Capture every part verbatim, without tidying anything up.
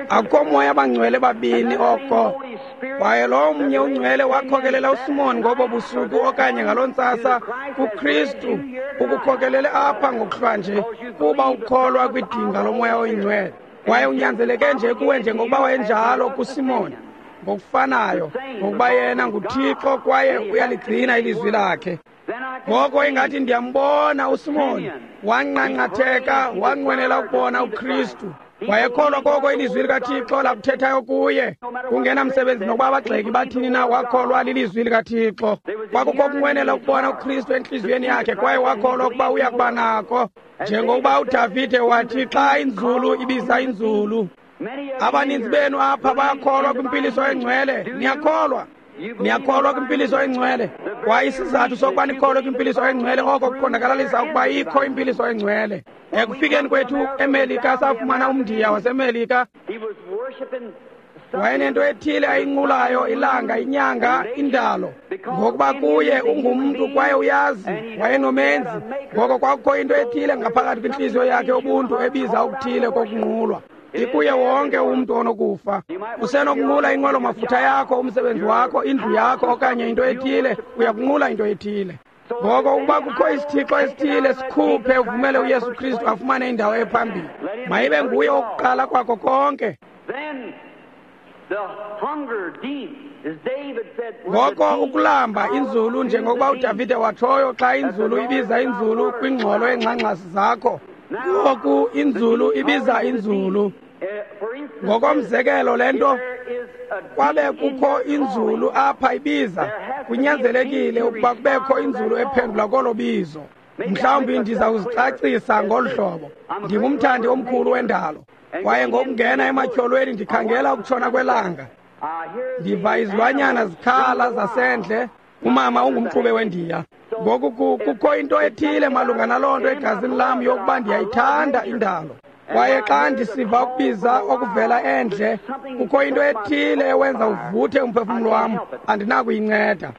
Akukho moya bangcwele babini oko. Kwaye lo mnye ungcwele wakhokelela uSimon ngobo busuku okanye ngaloo ntsasa kuKristu, ukukhokelele apha ngokuhlwa nje, kuba ukholwa kwidinga lomoya oyingcwele. Kwaye unyanzeleke nje kuwe njengokuba wayenjalo kuSimon, ngokufanayo, ngokuba yena nguThixo kwaye uyaligcina ilizwi lakhe. Ngoko ingathi ndiyambona uSimon wanqanqatheka, wanqwenela ukubona uKristu. Wayekholwa koko ilizwi likaThixo lakuthethayo kuye. Kungenamsebenzi nokuba abagxeki bathini na, wakholwa lilizwi likaThixo. Kwakukho ukunqwenela ukubona uKristu entliziyweni yakhe, kwaye wakholwa ukuba uya kuba nako. Njengokuba uDavide wathi xa inzulu ibiza inzulu. Abaninzi benu apha bayakholwa kwimpiliso engcwele. Niyakholwa? Niyakholwa kwimpiliso engcwele? Kwaye isizathu sokuba nikholwe kwimpiliso engcwele, oko kuqondakalalisa ukuba ikho impiliso engcwele. Ekufikeni kwethu eMelika, safumana umndiya waseMelika. Wayenento ethile ayinqulayo, ilanga, inyanga, indalo, ngokuba kuye ungumntu kwaye uyazi wayenomenzi. Ngoko kwakukho into ethile ngaphakathi kwintliziyo yakhe ubuntu ebiza okuthile kokunqulwa. Ikuye wonke umntu onokufa. Usenokunqula inqwelo mafutha yakho, umsebenzi wakho, indlu yakho, okanye into ethile. Uyakunqula into ethile. Ngoko ukuba kukho isithixo esithile, sikhuphe uvumele uYesu Kristu afumane indawo ephambili. Mayibe nguye owokuqala kwako konke. Ngoko ukulamba inzulu, njengokuba uDavide watshoyo, xa inzulu ibiza inzulu kwingxolo yeengxangxasi zakho. Ngoku inzulu ibiza inzulu. Ngokomzekelo le nto, kwabe kukho inzulu apha ibiza, kunyanzelekile ukuba kubekho inzulu ephendula kolo bizo. Mhlawumbi ndiza kuzicacisa ngolu hlobo. Ndingumthandi omkhulu wendalo, kwaye ngokungena ematyholweni ndikhangela ukutshona kwelanga. Ndiva izilwanyana zikhala zasendle. Umama ungumxube wendiya. Ngoku kukho into ethile malunga naloo nto egazini lam yokuba ndiyayithanda indalo. Kwaye xa ndisiva ukubiza okuvela endle, kukho into ethile ewenza uvuthe umphefumlo wam, andinakuyinceda.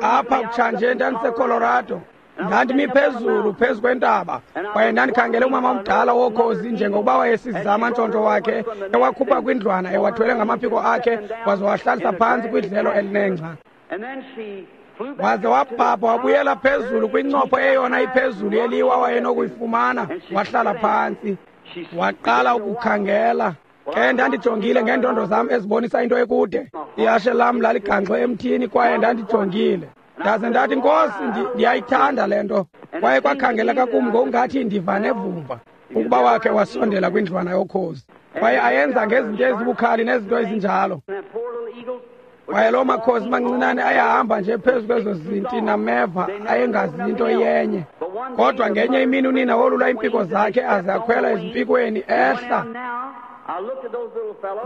Apha kutshanje ndandiseColorado. Ndandimi phezulu phezu kwentaba, kwaye ndandikhangele umama omdala wokhozi njengokuba wayesizama amantshontsho wakhe ewakhupha kwindlwana ewathwele ngamaphiko akhe, waze wahlalisa phantsi kwidlelo elinengca. Waze wabhabha wabuyela phezulu kwincopho eyona iphezulu yeliwa wayenokuyifumana, wahlala phantsi, waqala ukukhangela. Ke ndandijongile ngeendondo zam ezibonisa into ekude. Ihashe lam laligangxwe emthini kwaye ndandijongile. Ndaze ndathi, Nkosi, ndiyayithanda le nto. Kwaye kwakhangeleka kum ngokungathi ndiva nevumba ukuba wakhe wasondela kwindlwana yokhozi. Kwaye ayenza ngezinto ezibukhali nezinto ezinjalo. Kwaye loo makhozi mancinane ayahamba nje phezu kwezo zinti nameva, ayengazi into yenye. Kodwa ngenye imini unina wolula iimpiko zakhe aze akhwela ezimpikweni ehla.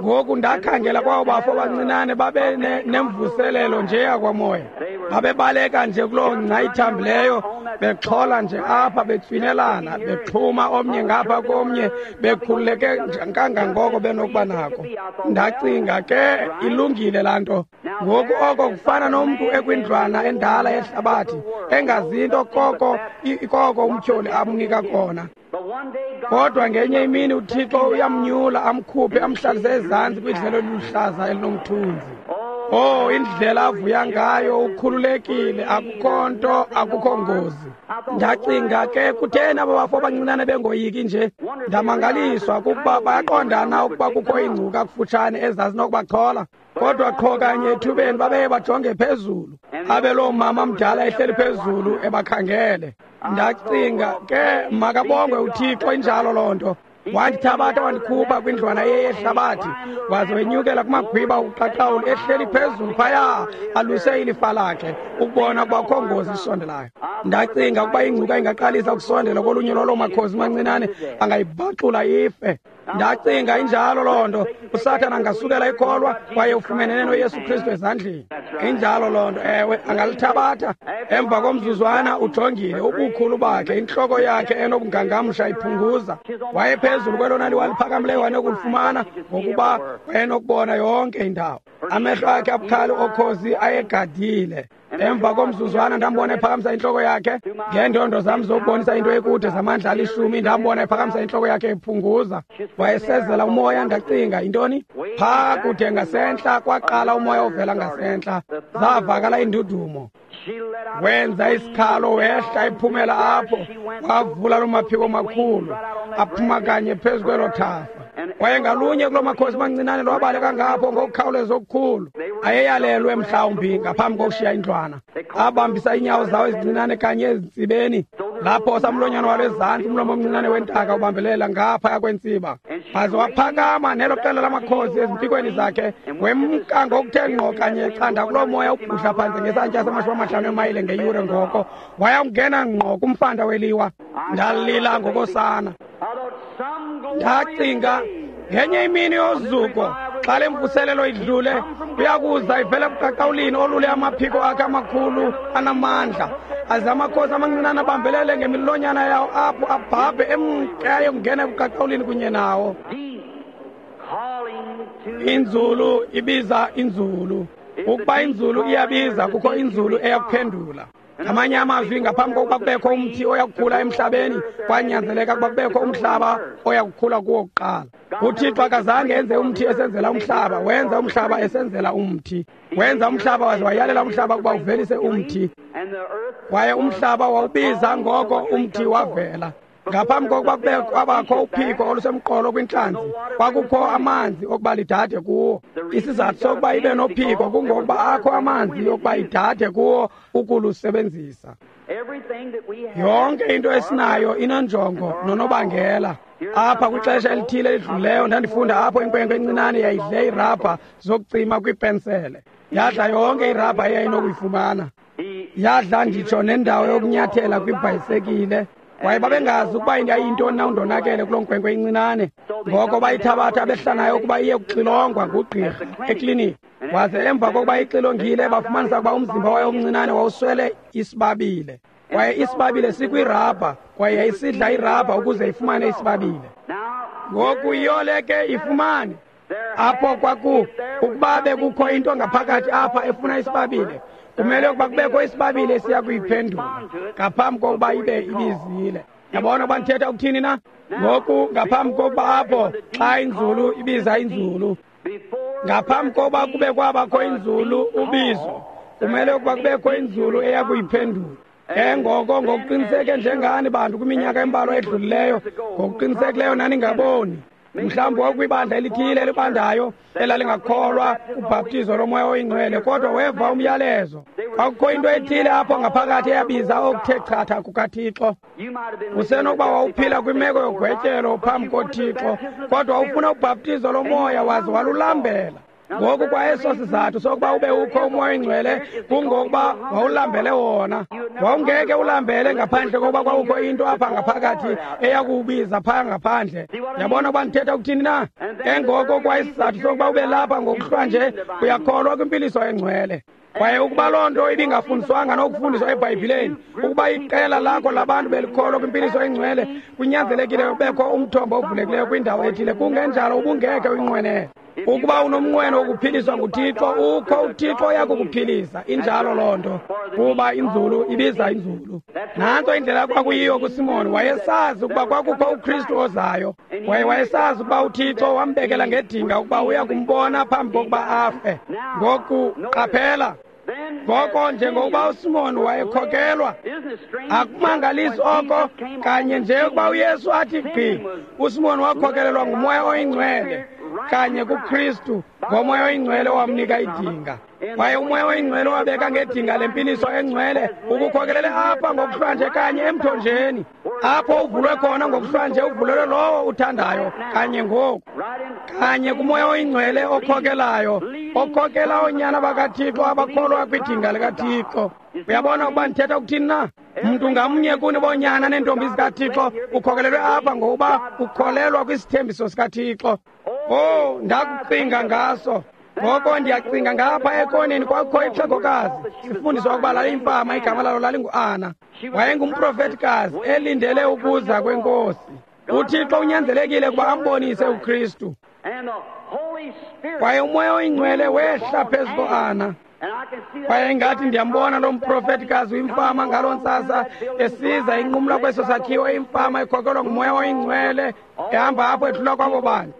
Ngoku ndakhangela kwabo bafo bancinane babe nemvuselelo nje yakwamoya. Babebaleka nje kuloo ngca ithambileyo, bexhola nje apha, betswinelana, bexhuma omnye ngapha komnye, bekhululeke kangangoko benokuba nako. Ndacinga ke, ilungile laa nto. Ngoku oko kufana nomntu ekwindlwana endala yehlabathi, engazinto koko koko umtyholi amnika kona. Kodwa ngenye imini uThixo uyamnyula, amkhuphe, amhlalise ezantsi kwidlelo eliluhlaza elinomthunzi. Oh, indlela avuya ngayo, ukhululekile, akukho nto, akukho ngozi. Ndacinga ke, kutheni aba bafo abancinane bengoyiki nje? Ndamangaliswa kukuba bayaqondana ukuba kukho iingcuka kufutshane ezazinokubachola. Kodwa qho kanye ethubeni babeye bajonge phezulu, abe loo mama mdala ehleli phezulu ebakhangele. Ndacinga ke, makabongwe uThixo, injalo loo nto. Wandithabatha wandikhupha kwindlwana yehlabathi, waze wenyukela kumagwiba uqaqawuli ehleli phezulu phaya, aluse ilifa lakhe ukubona ukuba kukho ngozi isondelayo. Ndacinga ukuba ingcuka ingaqalisa ukusondela kolunye lwaloo makhozi mancinane, angayibhaxula ife. Ndacinga injalo loo nto. USathana angasukela ikholwa kwaye ufumenene noYesu Kristu ezandleni. Injalo loo nto, ewe, angalithabatha. Emva komzuzwana ujongile ubukhulu bakhe, intloko yakhe enobungangamsha iphunguza. Wayephezulu kwelona liwa liphakamileyo wayenokulifumana, ngokuba wayenokubona yonke indawo. Amehlo akhe abukhali okhozi ayegadile. Emva komzuzwana ndambona ephakamisa intloko yakhe ngeendondo zam zokubonisa into ekude zamandla alishumi. Ndambona ephakamisa intloko yakhe ephunguza, wayesezela umoya. Ndacinga, intoni? Phaa kude ngasentla kwaqala umoya ovela ngasentla, zavakala indudumo. Wenza isikhalo, wehla ephumela apho, wavula loo maphiko makhulu aphuma kanye phezu kwelo thafa. Kwaye ngalunye kuloo makhosi mancinane lwabaleka ngapho ngokukhawuleza okukhulu. Ayeyalelwe mhlawumbi ngaphambi kokushiya indlwana. Abambisa iinyawo zawo ezincinane kanye ezintsibeni, lapho samlonyana walo ezantsi, umlomo omncinane wentaka ubambelela ngaphaya kwentsiba. Waze waphakama nelo qela lamakhosi ezimpikweni zakhe, wemka ngokuthe ngqo kanye echanda kuloo moya ubhudla phantsi ngesantya samashumi amahlanu emayile ngeyure. Ngoko wayawungena ngqo kumfanda weliwa. Ndalila ngokosana. Ndacinga, ngenye imini yozuko, xa le mvuselelo idlule, uyakuza ivele ebuqaqawulini olule amaphiko akhe amakhulu anamandla, aze amakhosi amancinane abambelele ngemilonyana yawo apho, abhabhe emke ayokungena ebuqaqawulini kunye nawo. Inzulu ibiza inzulu. Ukuba inzulu iyabiza, kukho inzulu eyakuphendula. Ngamanye amazwi, ngaphambi kokuba kubekho umthi oyakukhula emhlabeni, kwanyanzeleka ukuba kubekho umhlaba oyakukhula kuwo kuqala. UThixo akazange enze umthi esenzela umhlaba, wenza umhlaba esenzela umthi. Wenza umhlaba waze wayalela umhlaba ukuba uvelise umthi. Kwaye umhlaba wawubiza, ngoko umthi wavela. Ngaphambi kokuba kube kwabakho uphiko olusemqolo kwintlanzi, kwakukho amanzi okuba lidade kuwo. Isizathu sokuba ibe nophiko kungokuba akho amanzi okuba idade kuwo ukulusebenzisa. Yonke into esinayo inonjongo nonobangela. Apha kwixesha elithile elidlulileyo ndandifunda apho inkwenkwe encinane yayidle iirabha zokucima kwiipensele. Yadla yonke irabha eyayinokuyifumana. Yadla nditsho nendawo yokunyathela kwibhayisekile. Kwaye babengazi ukuba yayiyintoni na undonakele kuloo nkwenkwe incinane. Ngoko bayithabatha behla nayo ukuba iye kuxilongwa ngugqirha ekliniki. Waze emva kokuba ixilongile, bafumanisa ukuba umzimba wayo omncinane wawuswele isibabile. Kwaye isibabile sikwirabha, kwaye yayisidla irabha ukuze ifumane isibabile. Ngoku iyole ke ifumane. Apho kwaku ukuba bekukho into ngaphakathi apha efuna isibabile, kumele ukuba kubekho isibabile esiya kuyiphendula ngaphambi kokuba ibe ibizile. Yabona ukuba ndithetha ukuthini na? Ngoku ngaphambi kokuba apho xa inzulu ibiza inzulu, ngaphambi kokuba kube kwabakho inzulu ubizo, kumele ukuba kubekho inzulu eya kuyiphendula. Ke ngoko ngokuqiniseke njengani bantu kwiminyaka embalwa edlulileyo, ngokuqinisekileyo naningaboni. Mhlawumbi wakwibandla elithile elibandayo elalingakholwa kubhaptizo lomoya oyingcwele, kodwa weva umyalezo. Kwakukho into ethile apho ngaphakathi eyabiza okuthe chatha kukaThixo. Usenokuba wawuphila kwimeko yogwetyelo phambi koThixo, kodwa ufuna ubhaptizo lomoya waze walulambela. Ngoku kwaeso sizathu sokuba ube ukho umoya oyingcwele kungokuba wawulambele wona. Wawungeke ulambele ngaphandle kokuba kwakukho into apha ngaphakathi eyakuwubiza phaa ngaphandle. Yabona ukuba ndithetha ukuthini na? Ke ngoko kwayisizathu sokuba ube lapha ngokuhlwa nje, uyakholwa kwimpiliso engcwele. Kwaye ukuba loo nto ibingafundiswanga nokufundiswa eBhayibhileni, ukuba iqela lakho labantu belikholwa kwimpiliso engcwele, kunyanzelekile ubekho umthombo ovulekileyo kwindawo ethile, kungenjalo ubungeke uyinqwenele. Ukuba unomnqweno wokuphiliswa nguThixo, ukho uThixo oyakukuphilisa. Injalo loo nto, kuba inzulu ibiza inzulu. Nantso indlela kwakuyiyo kuSimon. Wayesazi ukuba kwakukho uKristu ozayo, kwaye wayesazi ukuba uThixo wambekela ngedinga ukuba uya kumbona phambi kokuba afe. Ngoku qaphela. Ngoko njengokuba uSimon wayekhokelwa, akumangalisi oko kanye nje ukuba uYesu athi gqi, uSimon wakhokelelwa ngumoya oyingcwele kanye kuKristu, ngomoya oyingcwele owamnika idinga. Kwaye umoya oyingcwele wabeka ngedinga lempiliso engcwele ukukhokelele apha ngokuhlwanje kanye emthonjeni, apho uvulwe khona ngokuhlwanje, uvulelwe lowo uthandayo kanye ngoku, kanye kumoya oyingcwele okhokelayo, okhokela oonyana bakaThixo abakholwa kwidinga likaThixo. Uyabona ukuba ndithetha ukuthini na? Mntu ngamnye kuni bonyana neentombi zikaThixo ukhokelelwe apha ngokuba ukholelwa kwisithembiso sikaThixo. Oh, ndakucinga ngaso. Ngoko ndiyacinga ngapha ekoneni kwakukho ixhegokazi, sifundiswa ukuba laliyimfama, igama lalo lalinguAna. Wayengumprofetikazi elindele ukuza kwenkosi. UThixo unyanzelekile ukuba ambonise uKristu. Kwaye uMoya oyiNgcwele wehla phezu koAna. Kwaye ingathi ndiyambona lo mprofetikazi uyimfama ngaloo ntsasa esiza inqumla kweso sakhiwo, imfama ikhokelwa nguMoya oyiNgcwele, ehamba apho edlula kwabo bantu,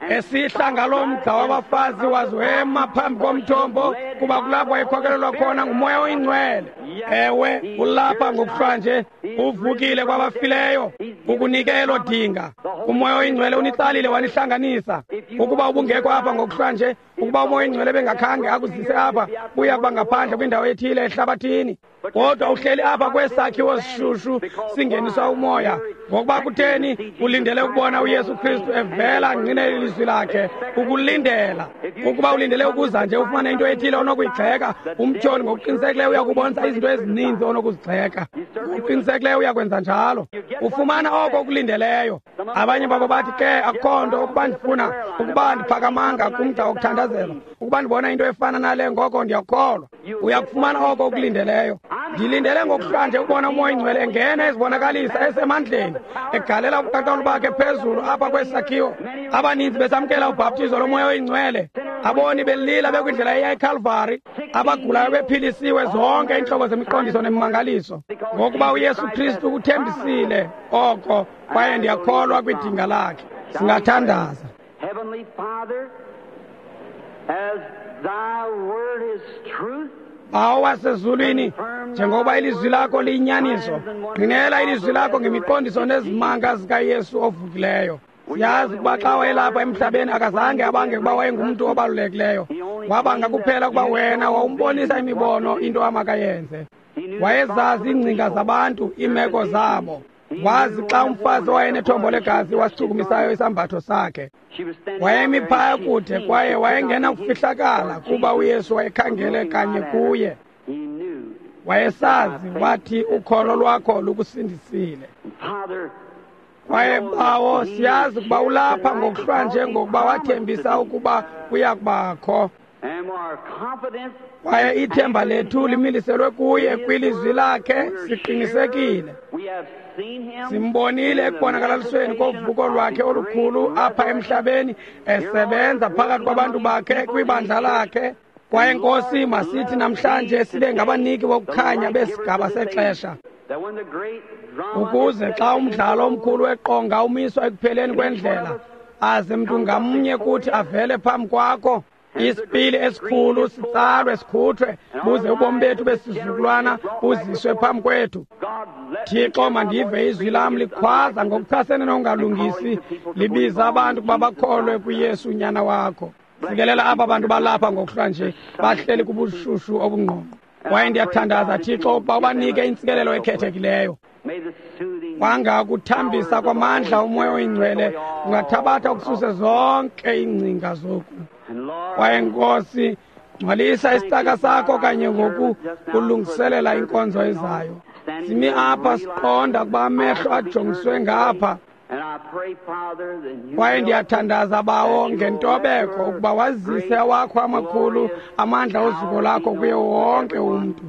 esihla ngaloo mgca wabafazi waze wema phambi komthombo, kuba kulapho wayekhokelelwa khona nguMoya oyiNgcwele. Ewe, ulapha ngokuhlwanje, uvukile kwabafileyo, ukunike elo dinga. UMoya oyiNgcwele unitsalile wanihlanganisa. Ukuba ubungekho apha ngokuhlwanje, ukuba uMoya oyiNgcwele bengakhange akuzise apha, uya kuba ngaphandle kwindawo ethile ehlabathini. Kodwa uhleli apha kwesakhiwo sishushu singeniswa umoya, ngokuba kutheni? Ulindele ukubona uYesu Kristu evela angqinele ilizwi lakhe. Ukulindela. Ukuba ulindele ukuza nje ufumane into ethile onokuyigxeka, umtyholi ngokuqinisekileyo uyakubonisa izinto ezininzi onokuzigxeka. Ngokuqinisekileyo uyakwenza njalo. Ufumana oko ukulindeleyo. Abanye babo bathi, ke akukho nto, ukuba ndifuna, ukuba ndiphakamanga kumgca wokuthandazelwa, ukuba ndibona into efana nale, ngoko ndiyakholwa. Uyakufumana oko ukulindeleyo. Ndilindele ngokuhlwanje ukubona uMoya oyiNgcwele engena ezibonakalisa esemandleni, egalela ubuqaqawuli bakhe phezulu apha kwesakhiwo. Abaninzi besamkela ubhaptizo loMoya oyiNgcwele, aboni belila bekwindlela eya eKalvari, abagulayo bephilisiwe, zonke iintlobo zemiqondiso nemimangaliso, ngokuba uYesu Kristu uthembisile oko, kwaye ndiyakholwa kwidinga lakhe. Singathandaza. Heavenly Father, as thy word is truth, Bawo wasezulwini, njengoba ilizwi lakho liyinyaniso, ngqinela ilizwi lakho ngemiqondiso nezimanga zikaYesu ovukileyo. Siyazi ukuba xa wayelapha emhlabeni akazange abange ukuba wayengumntu obalulekileyo. Wabanga kuphela ukuba wena wawumbonisa imibono into amakayenze. Wayezazi iingcinga zabantu, iimeko zabo. Wazi xa umfazi owayenethombo legazi wasichukumisayo isambatho sakhe. Wayemi phaya kude kwaye wayengena kufihlakala kuba uYesu wayekhangele kanye kuye. Wayesazi, wathi, ukholo lwakho lukusindisile. Kwaye Bawo, siyazi ukuba ulapha ngokuhlwanje ngokuba wathembisa ukuba uya kubakho. Kwaye ithemba lethu limiliselwe kuye kwilizwi lakhe, siqinisekile. Simbonile ekubonakalalisweni kovuko lwakhe olukhulu apha emhlabeni, esebenza phakathi kwabantu bakhe kwibandla lakhe. Kwaye Nkosi, masithi namhlanje sibe ngabaniki bokukhanya besigaba sexesha, ukuze xa umdlalo omkhulu weqonga umiswa ekupheleni kwendlela, aze mntu ngamnye kuthi avele phambi kwakho, isipili esikhulu sitsalwe sikhuthwe, buze ubomi bethu besizukulwana buziswe phambi kwethu. Thixo, mandive izwi lam likhwaza ngokuchasene nokungalungisi, libiza abantu ukuba bakholwe kuYesu unyana wakho. Sikelela aba bantu balapha ngokuhlwanje, bahleli kubushushu obungqongqo. Kwaye ndiyathandaza, Thixo, ukuba ubanike intsikelelo ekhethekileyo. Kwanga kuthambisa kwamandla uMoya oyiNgcwele ungathabatha ukususe zonke iingcinga zoku. Kwaye Nkosi, ngcwalisa isicaka sakho kanye ngoku kulungiselela inkonzo ezayo. Simi apha siqonda ukuba amehlo ajongiswe ngapha. Kwaye ndiyathandaza, Bawo, ngentobeko ukuba wazise awakho amakhulu amandla ozuko lakho kuye wonke umntu.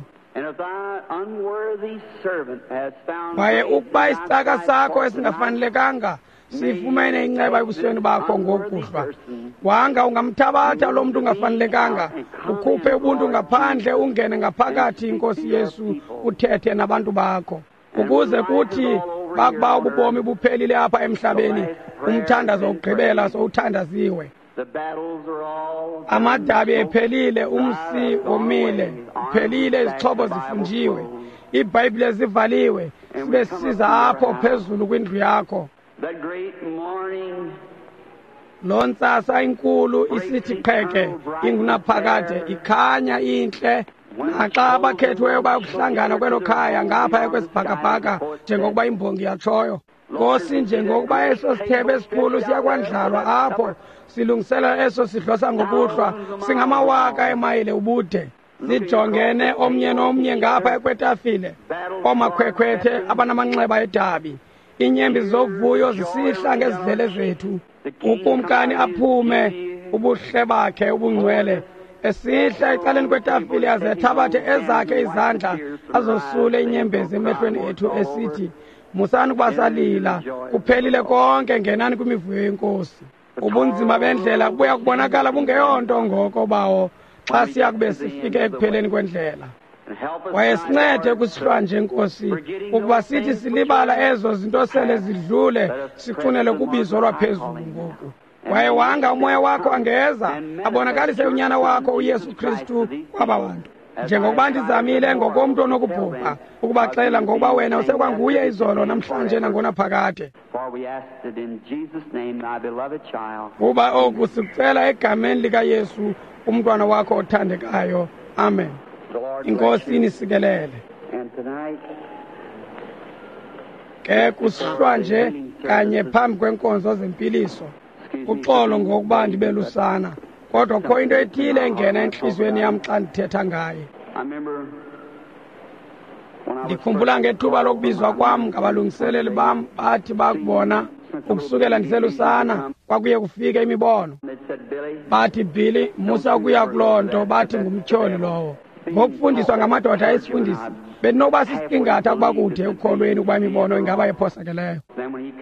Kwaye ukuba isicaka sakho esingafanelekanga sifumene inceba ebusweni bakho ngokuhlwa, wanga ungamthabatha lo mntu ungafanelekanga, ukhuphe ubuntu ngaphandle, ungene ngaphakathi, Nkosi Yesu, uthethe nabantu bakho, ukuze kuthi bakuba ububomi buphelile apha emhlabeni, umthandazo wokugqibela sowuthandaziwe, amadabi ephelile, umsi womile, uphelile, izixhobo zifunjiwe, iibhayibhile zivaliwe, sibe sisiza apho phezulu kwindlu yakho. Loo ntsasa inkulu isithi qheke ingunaphakade, ikhanya intle, naxa abakhethiweyo bayokuhlangana kwelo khaya ngaphaya kwesibhakabhaka, njengokuba imbongi yatshoyo. Nkosi, njengokuba eso sithebe esikhulu siyakwandlalwa apho, silungisela eso sidlo sangokuhlwa, singamawaka emayile ubude, sijongene omnye nomnye ngapha kwetafile, oomakhwekhwethe abanamanxeba edabi, iinyembi zovuyo zisihla ngezidlele zethu, ukumkani aphume ubuhle bakhe ubungcwele, esihla ecaleni kwetafile aze athabathe ezakhe izandla azosule inyembezi emehlweni ethu, esithi, musani ukuba salila, kuphelile konke, ngenani kwimivuyo yenkosi. Ubunzima bendlela buya kubonakala bungeyonto ngoko, Bawo, xa siya kube sifike ekupheleni kwendlela. Kwaye sincede kusihlwa nje, Nkosi, ukuba sithi silibala ezo zinto sele zidlule, sixunele kubizo lwaphezulu ngoku. Kwaye wanga uMoya wakho angeza abonakalise uNyana wakho uYesu Kristu kwaba bantu, njengokuba ndizamile ngokomntu onokubhubha ukubaxelela ngokuba wena usekwanguye izolo, namhlanje, nangonaphakade. Kuba oku sikucela egameni likaYesu, umntwana wakho othandekayo. Amen. Inkosi inisikelele. Ke kusihlwa nje kanye phambi kwenkonzo zempiliso, uxolo ngokuba ndibelusana, kodwa kho into ethile engena entliziyweni yam xa ndithetha ngaye. Ndikhumbula ngethuba lokubizwa kwam ngabalungiseleli bam, bathi bakubona ukusukela ndiselusana kwakuye kufike imibono. Bathi, "Billy, musa ukuya kuloo nto." Bathi, "Ngumtyholi lowo." Ngokufundiswa ngamadoda esifundisi, bendinokuba sisiqingatha ukuba kude ekukholweni ukuba imibono ingaba yephosakeleyo.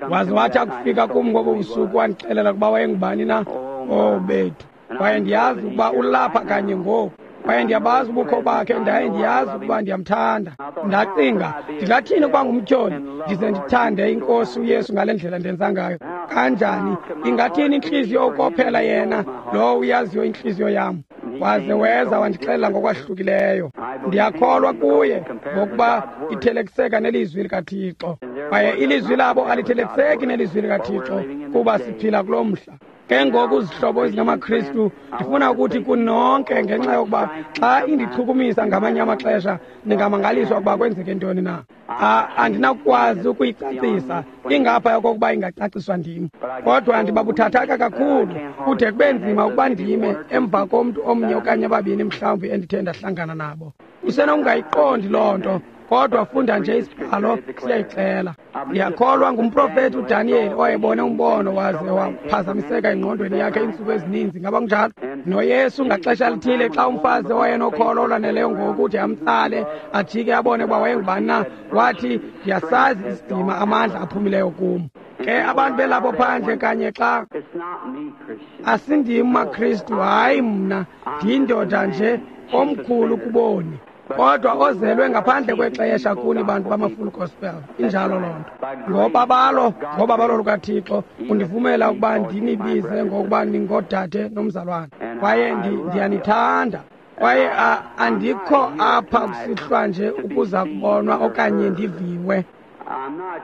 Waze wathi akufika kum ngobo busuku wandixelela ukuba wayengubani na. Oh bethu! Kwaye ndiyazi ukuba ulapha kanye ngoku, kwaye ndiyabazi ubukho bakhe, ndaye ndiyazi ukuba ndiyamthanda. Ndacinga, ndingathini ukuba ngumtyholi ndize ndithande iNkosi uYesu ngale ndlela ndenza ngayo? Kanjani ingathini intliziyo ukophela yena lowo uyaziyo intliziyo yam? Waze weza wandixelela ngokwahlukileyo. Ndiyakholwa kuye ngokuba ithelekiseka nelizwi likaThixo, kwaye ilizwi labo alithelekiseki nelizwi likaThixo, kuba siphila kulo mhla. Ke ngoku, zihlobo ezingamaKristu, ndifuna ukuthi kunonke, ngenxa yokuba xa indichukumisa ngamanye amaxesha ningamangaliswa ukuba kwenzeke ntoni na. Andinakukwazi ukuyicacisa, ingapha yokokuba ingacaciswa ndim, kodwa ndibabuthathaka kakhulu kude kube nzima ukuba ndime emva komntu omnye okanye ababini mhlawumbi endithe ndahlangana nabo. Usenokungayiqondi loo nto, kodwa funda nje isibhalo, siyayixela. Ndiyakholwa ngumprofethi uDaniyeli owayebone umbono waze waphazamiseka engqondweni yakhe iintsuku ezininzi. Ngaba kunjalo? NoYesu ngaxesha lithile, xa umfazi owayenokholo olwaneleyo ngokuthi amtsale ajike abone uba wayengubani na, wathi, "Ndiyasazi isidima amandla aphumileyo kum." Ke abantu belapho phandle kanye xa asindim maKristu, hayi mna, ndiyindoda nje omkhulu kuboni, kodwa ozelwe ngaphandle kwexesha kuni bantu bama-Full Gospel. Injalo loo nto. Ngobabalo, ngobabalo lukaThixo undivumela ukuba ndinibize ngokuba ningodade nomzalwane, kwaye ndiyanithanda. Kwaye andikho apha kusihlwa nje ukuza kubonwa okanye ndiviwe.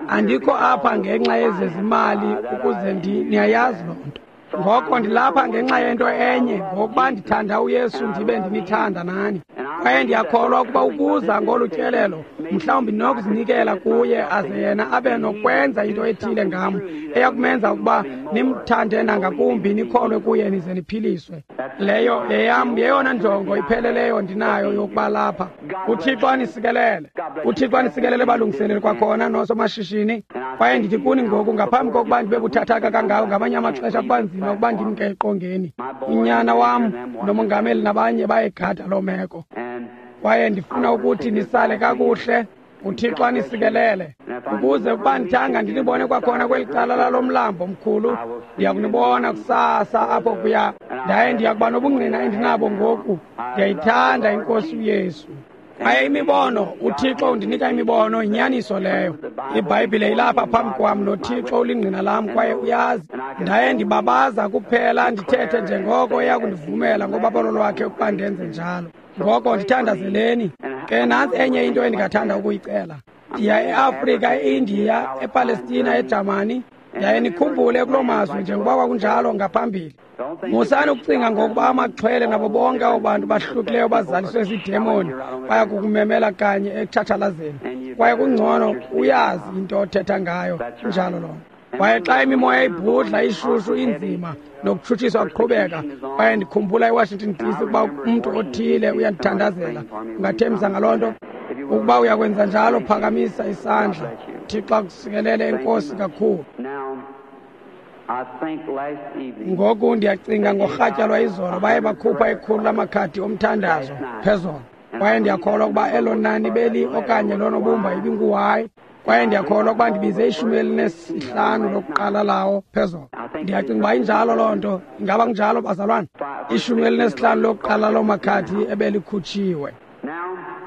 Andikho apha ngenxa yezezimali ukuze ndi, niyayazi loo nto. Ngoko ndilapha ngenxa yento enye, ngokuba ndithanda uYesu ndibe ndinithanda nani. Kwaye ndiyakholwa ukuba ukuza ngolu tyelelo, mhlawumbi ndinokuzinikela kuye aze yena abe nokwenza into ethile ngam eyakumenza ukuba nimthande nangakumbi, nikholwe kuye, nize niphiliswe. Leyo yeyam yeyona njongo ipheleleyo ndinayo yokuba lapha. UThixo anisikelele. UThixo anisikelele, balungiseleli kwakhona noosomashishini. Kwaye ndithi kuni ngoku, ngaphambi kokuba ndibe buthathaka kangako, ngamanye amaxesha kuba nzima ukuba ndimke eqongeni. Unyana wam nomongameli nabanye bayegada loo meko. Kwaye ndifuna ukuthi nisale kakuhle. UThixo anisikelele. Ukuze ukuba ndithanga ndinibone kwakhona kweli cala lalo mlambo mkhulu, ndiyakunibona kusasa apho kuya. Ndaye ndiyakuba nobungqina endinabo ngoku. Ndiyayithanda iNkosi uYesu. Kwaye imibono, uThixo undinika imibono, yinyaniso leyo. IBhayibhile ilapha phambi kwam, noThixo ulingqina lam kwaye uyazi. Ndaye ndibabaza kuphela ndithethe njengoko eyakundivumela ngobabalo lwakhe ukuba ndenze njalo. Ngoko ndithandazeleni. Ke nantsi enye into endingathanda ukuyicela. Ndiya eAfrika, eIndiya, ePalestina, eJamani. Yaye nikhumbule kuloo mazwe njengoba kwakunjalo ngaphambili. Musani ukucinga ngokuba amaxhwele nabo bonke abo bantu bahlukileyo bazaliswe ziidemoni baya kukumemela kanye ekutshatshalazeni. Kwaye kungcono uyazi into othetha ngayo. Injalo loo nto. Kwaye xa imimoya ibhudla, ishushu, inzima, nokutshutshiswa kuqhubeka, kwaye ndikhumbula eWashington D C ukuba umntu othile uyandithandazela. Ungathembisa ngaloo nto? Ukuba uyakwenza njalo, phakamisa isandla. Thixo akusikelele. Enkosi kakhulu. Ngoku ndiyacinga ngorhatya lwayizolo baye bakhupha ikhulu lamakhadi omthandazo phezolo, kwaye ndiyakholwa ukuba elo nani beli okanye lonobumba ibinguhayi. Kwaye ndiyakholwa ukuba ndibize ishumi elinesihlanu lokuqala lawo phezulu. Ndiyacinga uba injalo loo nto. Ingaba kunjalo, bazalwane? Ishumi elinesihlanu lokuqala loo makhadi ebelikhutshiwe.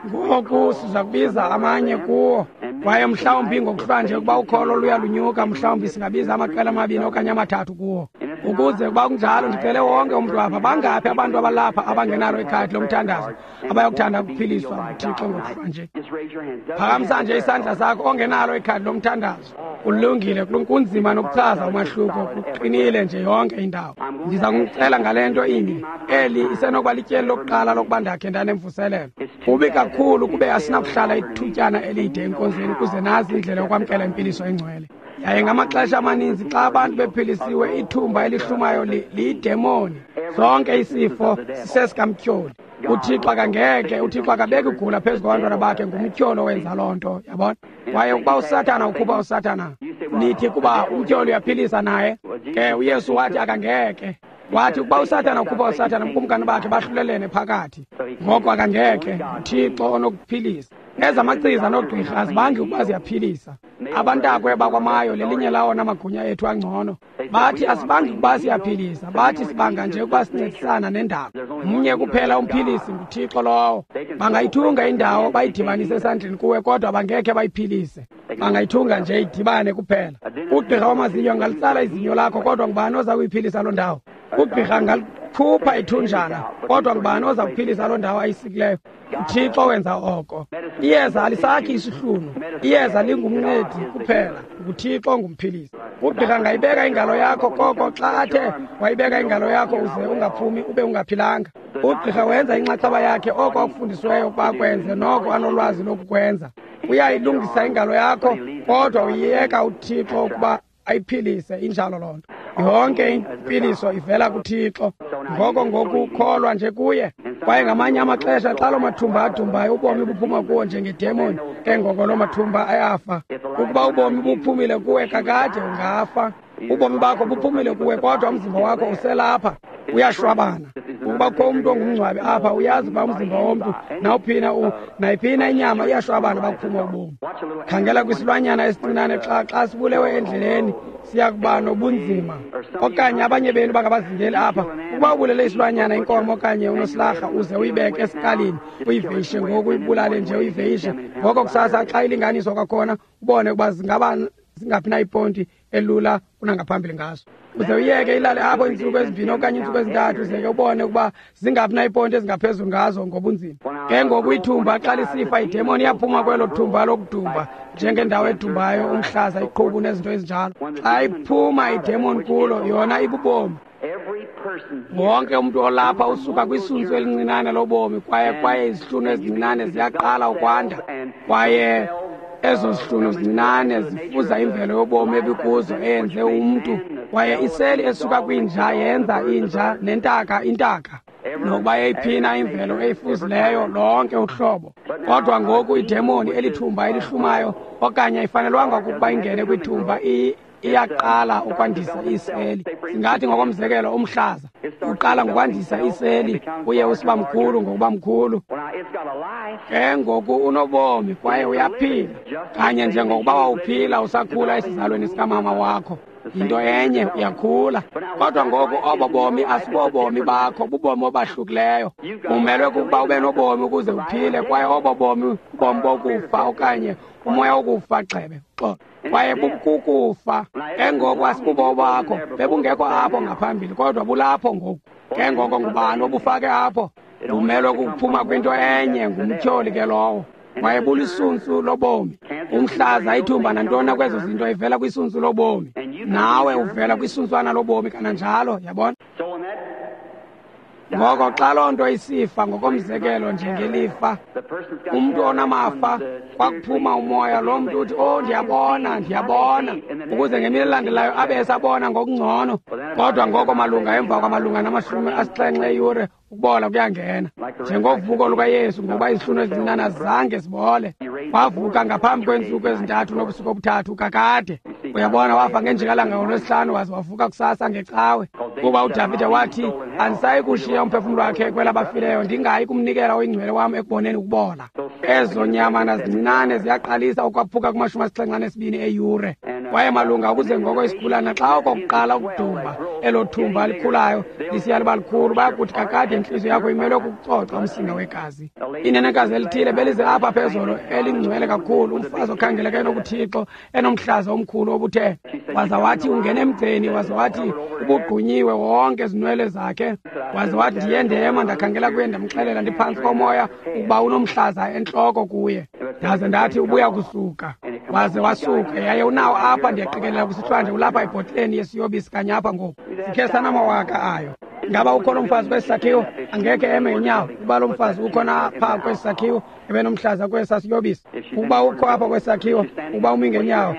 Ngoku siza kubiza amanye kuwo. Kwaye mhlawumbi ngokuhlwanje ukuba ukholo luyalunyuka, mhlawumbi singabiza amaqela amabini okanye amathathu kuwo. Ukuze ukuba kunjalo, ndicele wonke umntu apha. Bangaphi abantu abalapha abangenalo ikhadi lomthandazo abayokuthanda ukuphiliswa nguThixo ngokuhlwanje? Phakamisa nje isandla sakho ongenalo ikhadi lomthandazo. Kulungile, kunzima nokuchaza umahluko, kuqinile nje yonke indawo. Ndiza kunicela ngale nto inye. Eli isenokuba lityeli lokuqala lokuba ndakhe ndanemvuselelo. Kubi kakhulu kube asinakuhlala ithutyana elide enkonzweni ukuze nazi indlela yokwamkela impiliso engcwele. Yaye ngamaxesha amaninzi xa abantu bephilisiwe, ithumba elihlumayo liyidemoni. Sonke isifo sisesikamtyholi. UThixo akangeke, uThixo akabeki ugula phezu kwabantwana bakhe, ngumtyholi owenza loo nto, yabona? Kwaye ukuba uSathana ukhupha uSathana, nithi kuba umtyholi uyaphilisa naye. Ke uYesu wathi akangeke. Wathi ukuba uSathana ukhupha uSathana, ubukumkani bakhe bahlulelene phakathi. Ngoko akangeke, uThixo onokuphilisa. Ezamachiza noogqirha azibangi ukuba ziyaphilisa. Abantakwe bakwamayo lelinye lawona magunya ethu angcono. Bathi asibangi ukuba siyaphilisa, bathi sibanga nje ukuba sincedisana nendalo. Mnye kuphela umphilisi, nguThixo lowo. Bangayithunga indawo bayidibanise esandleni kuwe, kodwa bangekhe bayiphilise. Bangayithunga nje idibane kuphela. Ugqirha wamazinyo angalitsala izinyo lakho, kodwa ngubani oza kuyiphilisa loo ndawo? Ugqirha angalikhupha ithunjana, kodwa ngubani oza kuphilisa loo ndawo ayisikileyo? UThixo wenza oko. Iyeza alisakhi isihlunu. Iyeza lingumncedi kuphela. NguThixo ongumphilisi. Ugqirha angayibeka ingalo yakho, koko xa athe wayibeka ingalo yakho uze ungaphumi ube ungaphilanga. Ugqirha wenza inxaxheba yakhe oko akufundisiweyo ukuba akwenze noko anolwazi lokukwenza. Uyayilungisa ingalo yakho, kodwa uyiyeka uThixo ukuba ayiphilise. Injalo loo nto. Yonke impiliso ivela kuThixo. Ngoko ngoku kholwa nje kuye. Kwaye ngamanye amaxesha xa loo mathumba adumbayo, ubomi buphuma kuwo njengedemoni. Ke ngoko loo mathumba ayafa. Ukuba ubomi buphumile kuwe kakade ungafa. Ubomi bakho buphumile kuwe, kodwa umzimba wakho uselapha, uyashwabana. Ukuba kukho umntu ongumngcwabi apha, uyazi uba umzimba womntu nawuphina nayiphina inyama iyashwabana bakuphuma ubomi. Khangela kwisilwanyana esincinane xa xa sibulewe endleleni, siya kuba nobunzima. Okanye abanye benu bangabazingeli apha, ukuba ubulele isilwanyana, inkomo okanye unosilarha, uze uyibeke esikalini, uyiveyishe ngoku, uyibulale nje uyiveyishe. Ngoko kusasa xa ilinganiswa kwakhona, ubone ukuba zingaba zingaphi na iponti elula kunangaphambili ngaso. Uze uyeke ilale apho iintsuku ezimbini okanye iintsuku ezintathu, uze ke ubone ukuba zingaphi na iponti ezingaphezulu ngazo ngobunzima. Ke ngoku ithumba xa lisifa, idemoni iyaphuma kwelo thumba lokudumba, njengendawo edumbayo, umhlaza, iqhubu nezinto ezinjalo. Xa iphuma idemoni kulo, yona ibubomi. Wonke umntu olapha usuka kwisuntsu elincinane lobomi, kwaye kwaye izihlunu ezincinane ziyaqala ukwanda, kwaye ezo zihlunu zincinane zifuza imvelo yobomi ebikuzo eyenze umntu. Kwaye iseli esuka kwinja yenza inja, nentaka intaka, nokuba eyiphina imvelo eyifuzileyo lonke uhlobo. Kodwa ngoku idemoni elithumba elihlumayo, okanye ayifanelwanga ukuba ingene kwithumba, iyaqala ukwandisa iseli. Singathi ngokomzekelo umhlaza uqala ngokwandisa iseli, uye usiba mkhulu ngokuba mkhulu. Ke ngoku unobomi kwaye uyaphila, kanye njengokuba wawuphila usakhula esizalweni sikamama wakho. Yinto enye, uyakhula. Kodwa ngoku obo bomi asibobomi bakho, bubomi obahlukileyo. Umelwe kukuba ube nobomi ukuze uphile, kwaye obo bomi bubomi bokufa okanye umoya wokufa gxebe. Xolo. Kwaye bukukufa. Ke ngoku asibubo bakho, bebungekho apho ngaphambili, kodwa bulapho ngoku. Ke ngoko ngubani obufake apho? Bumelwe kukuphuma kwinto enye, ngumtyholi ke lowo. Kwaye bulisuntsu lobomi. Umhlaza, ithumba nantoni kwezo zinto ivela kwisuntsu lobomi. Nawe uvela kwisuntswana lobomi kananjalo, yabona? Ngoko xa loo nto isifa, ngokomzekelo njengelifa, umntu onamafa kwakuphuma umoya, loo mntu uthi, oh, ndiyabona, ndiyabona, ukuze ngemini elandelayo abe esabona ngokungcono. Kodwa ngoko malunga emva kwamalunga namashumi asixhenxe eyure, ukubola kuyangena. Njengovuko lukaYesu, ngokuba izihlunu ezincinane azange zibole. Wavuka ngaphambi kweentsuku ezintathu nobusuku obuthathu kakade. Uyabona, wafa ngenjikalanga ngolwesihlanu, waze wavuka kusasa ngecawe. Kuba uDavide wathi, andisayi kushiya umphefumlo wakhe kwelabafileyo, ndingayi kumnikela oyingcwele wam ekuboneni ukubola. Ezo nyamana zincinane ziyaqalisa ukwaphuka kumashumi asixhenxe anesibini eyure. Kwaye malunga ukuze ngoko isigulana xa okokuqala ukudumba elo thumba likhulayo lisiya liba likhulu, bayakuthi kakade intliziyo yakho imelwe kukucoca umsinga wegazi. Inenekazi elithile belize apha phezolo elingcwele kakhulu, umfazi okhangeleka enokuthixo enomhlaza omkhulu obuthe, waza wathi ungena emgceni, waza wathi ubugqunyiwe wonke izinwele zakhe, waza wathi ndiye ndema ndakhangela kuye ndamxelela ndiphantsi komoya ukuba unomhlaza entloko kuye, ndaze ndathi ubuya kusuka, waze wasuka. Yaye unawo apha, ndiyaqikelela kusithiwa nje ulapha ebhotileni yesiyobisi kanye apha ngoku, sikhe sanamawaka ayo. Ngaba ukho lo mfazi kwesi sakhiwo? Angekhe eme ngenyawo. Ukuba lo mfazi ukhona phaa kwesi sakhiwo ebenomhlaza kwesa siyobisi, ukuba ukho apha kwesi sakhiwo, ukuba umi ngenyawo,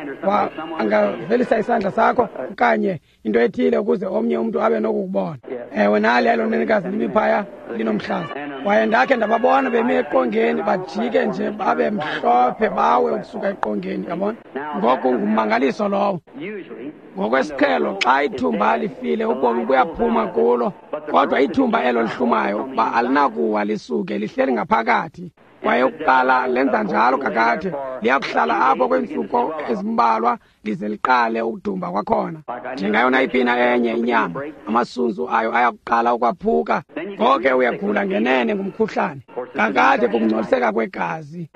angavelisa isandla sakho okanye into ethile ukuze omnye umntu abe nokukubona. Ewe, nali elo nenekazi limi phaya linomhlaza. Kwaye ndakhe ndababona bemi eqongeni, bajike nje babe mhlophe bawe ukusuka eqongeni, yabona. Ngoku ngummangaliso lowo. Ngokwesiqhelo xa ithumba lifile ubomi buyaphuma kulo, kodwa ithumba elo lihlumayo ukuba alinakuwa lisuke, lihleli ngaphakathi. Kwaye ukuqala lenza njalo kakade, liyakuhlala apho kweentsuku ezimbalwa lize liqale ukudumba kwakhona. Njengayo nayiphi na enye inyama, amasuntsu ayo ayakuqala ukwaphuka. Ngoko uyagula ngenene ngumkhuhlane. Kakade kukungcoliseka kwegazi.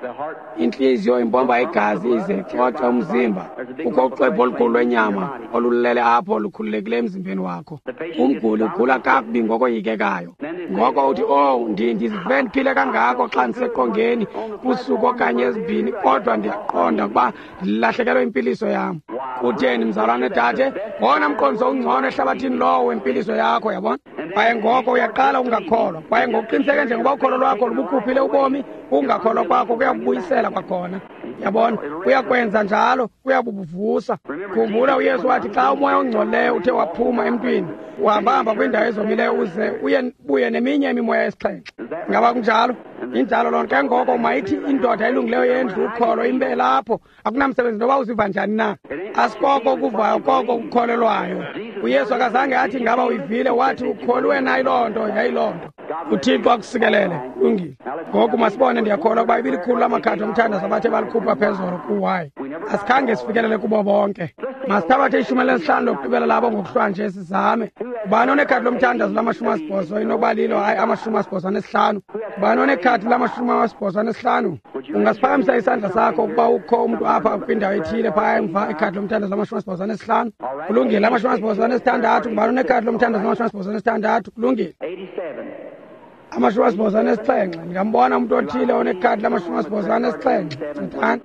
Intliziyo impompa igazi ize icoce umzimba. Kukho uxwebhu olukhulu lwenyama olulele apho lukhululekileyo emzimbeni wakho. Umguli ugula kakubi ngokoyikekayo. Ngoko uthi, oh, ndizive ndiphile kangako xa ndiseqongeni kusuku okanye ezibini, kodwa ndiyaqonda ukuba ndilahlekelwe impiliso yam. Kutheni, mzalwane dade, ngowona mqondiso ungcono ehlabathini lowo wempiliso yakho, yabona. Kwaye ngoko uyaqala ukungakholwa. Kwaye ngokuqiniseke njengoba ukholo lwakho lubukhuphile ubomi, ukungakholwa kwakho kuyakubuyisela kwakhona. Yabona, kuyakwenza njalo, kuyabuvusa. Khumbula uYesu wathi xa umoya ongcolileyo uthe waphuma emntwini, uhambahamba kwiindawo ezomileyo uze uye buye neminye imimoya esixhenxe. Ngaba kunjalo? Injalo loo nto. Ke ngoko mayithi indoda elungileyo yendlu ukholo imbe lapho, akunamsebenzi noba uziva njani na. Asikoko ukuvayo, koko ukukholelwayo. uYesu akazange athi ngaba uyivile, wathi ukholwe na yiloo nto, yayiloo nto. UThixo akusikelele. Lungile. Ngoku masibone, ndiyakholwa ukuba ibilikhulu lamakhadi omthandazo abathe balikhupha phezolo kuwayi. Asikhange sifikelele kubo bonke. Masithabathe ishumi elinesihlanu lokugqibela labo ngokuhlwa nje sizame. Ubani onekhadi lomthandazo lamashumi asibhozo inokuba lilo, hayi amashumi asibhozo anesihlanu. Ubani onekhadi lamashumi asibhozo anesihlanu? Ungasiphakamisa isandla sakho ukuba ukho umntu apha kwindawo ethile phaya emva, ikhadi lomthandazo lamashumi asibhozo anesihlanu. Kulungile. Amashumi asibhozo anesithandathu. Ngubani onekhadi lomthandazo lamashumi asibhozo anesithandathu? Kulungile. Amashumi asibhozo anesixhenxe. Ndingambona umntu othile onekhadi lamashumi asibhozo anesixhenxe. Ncedani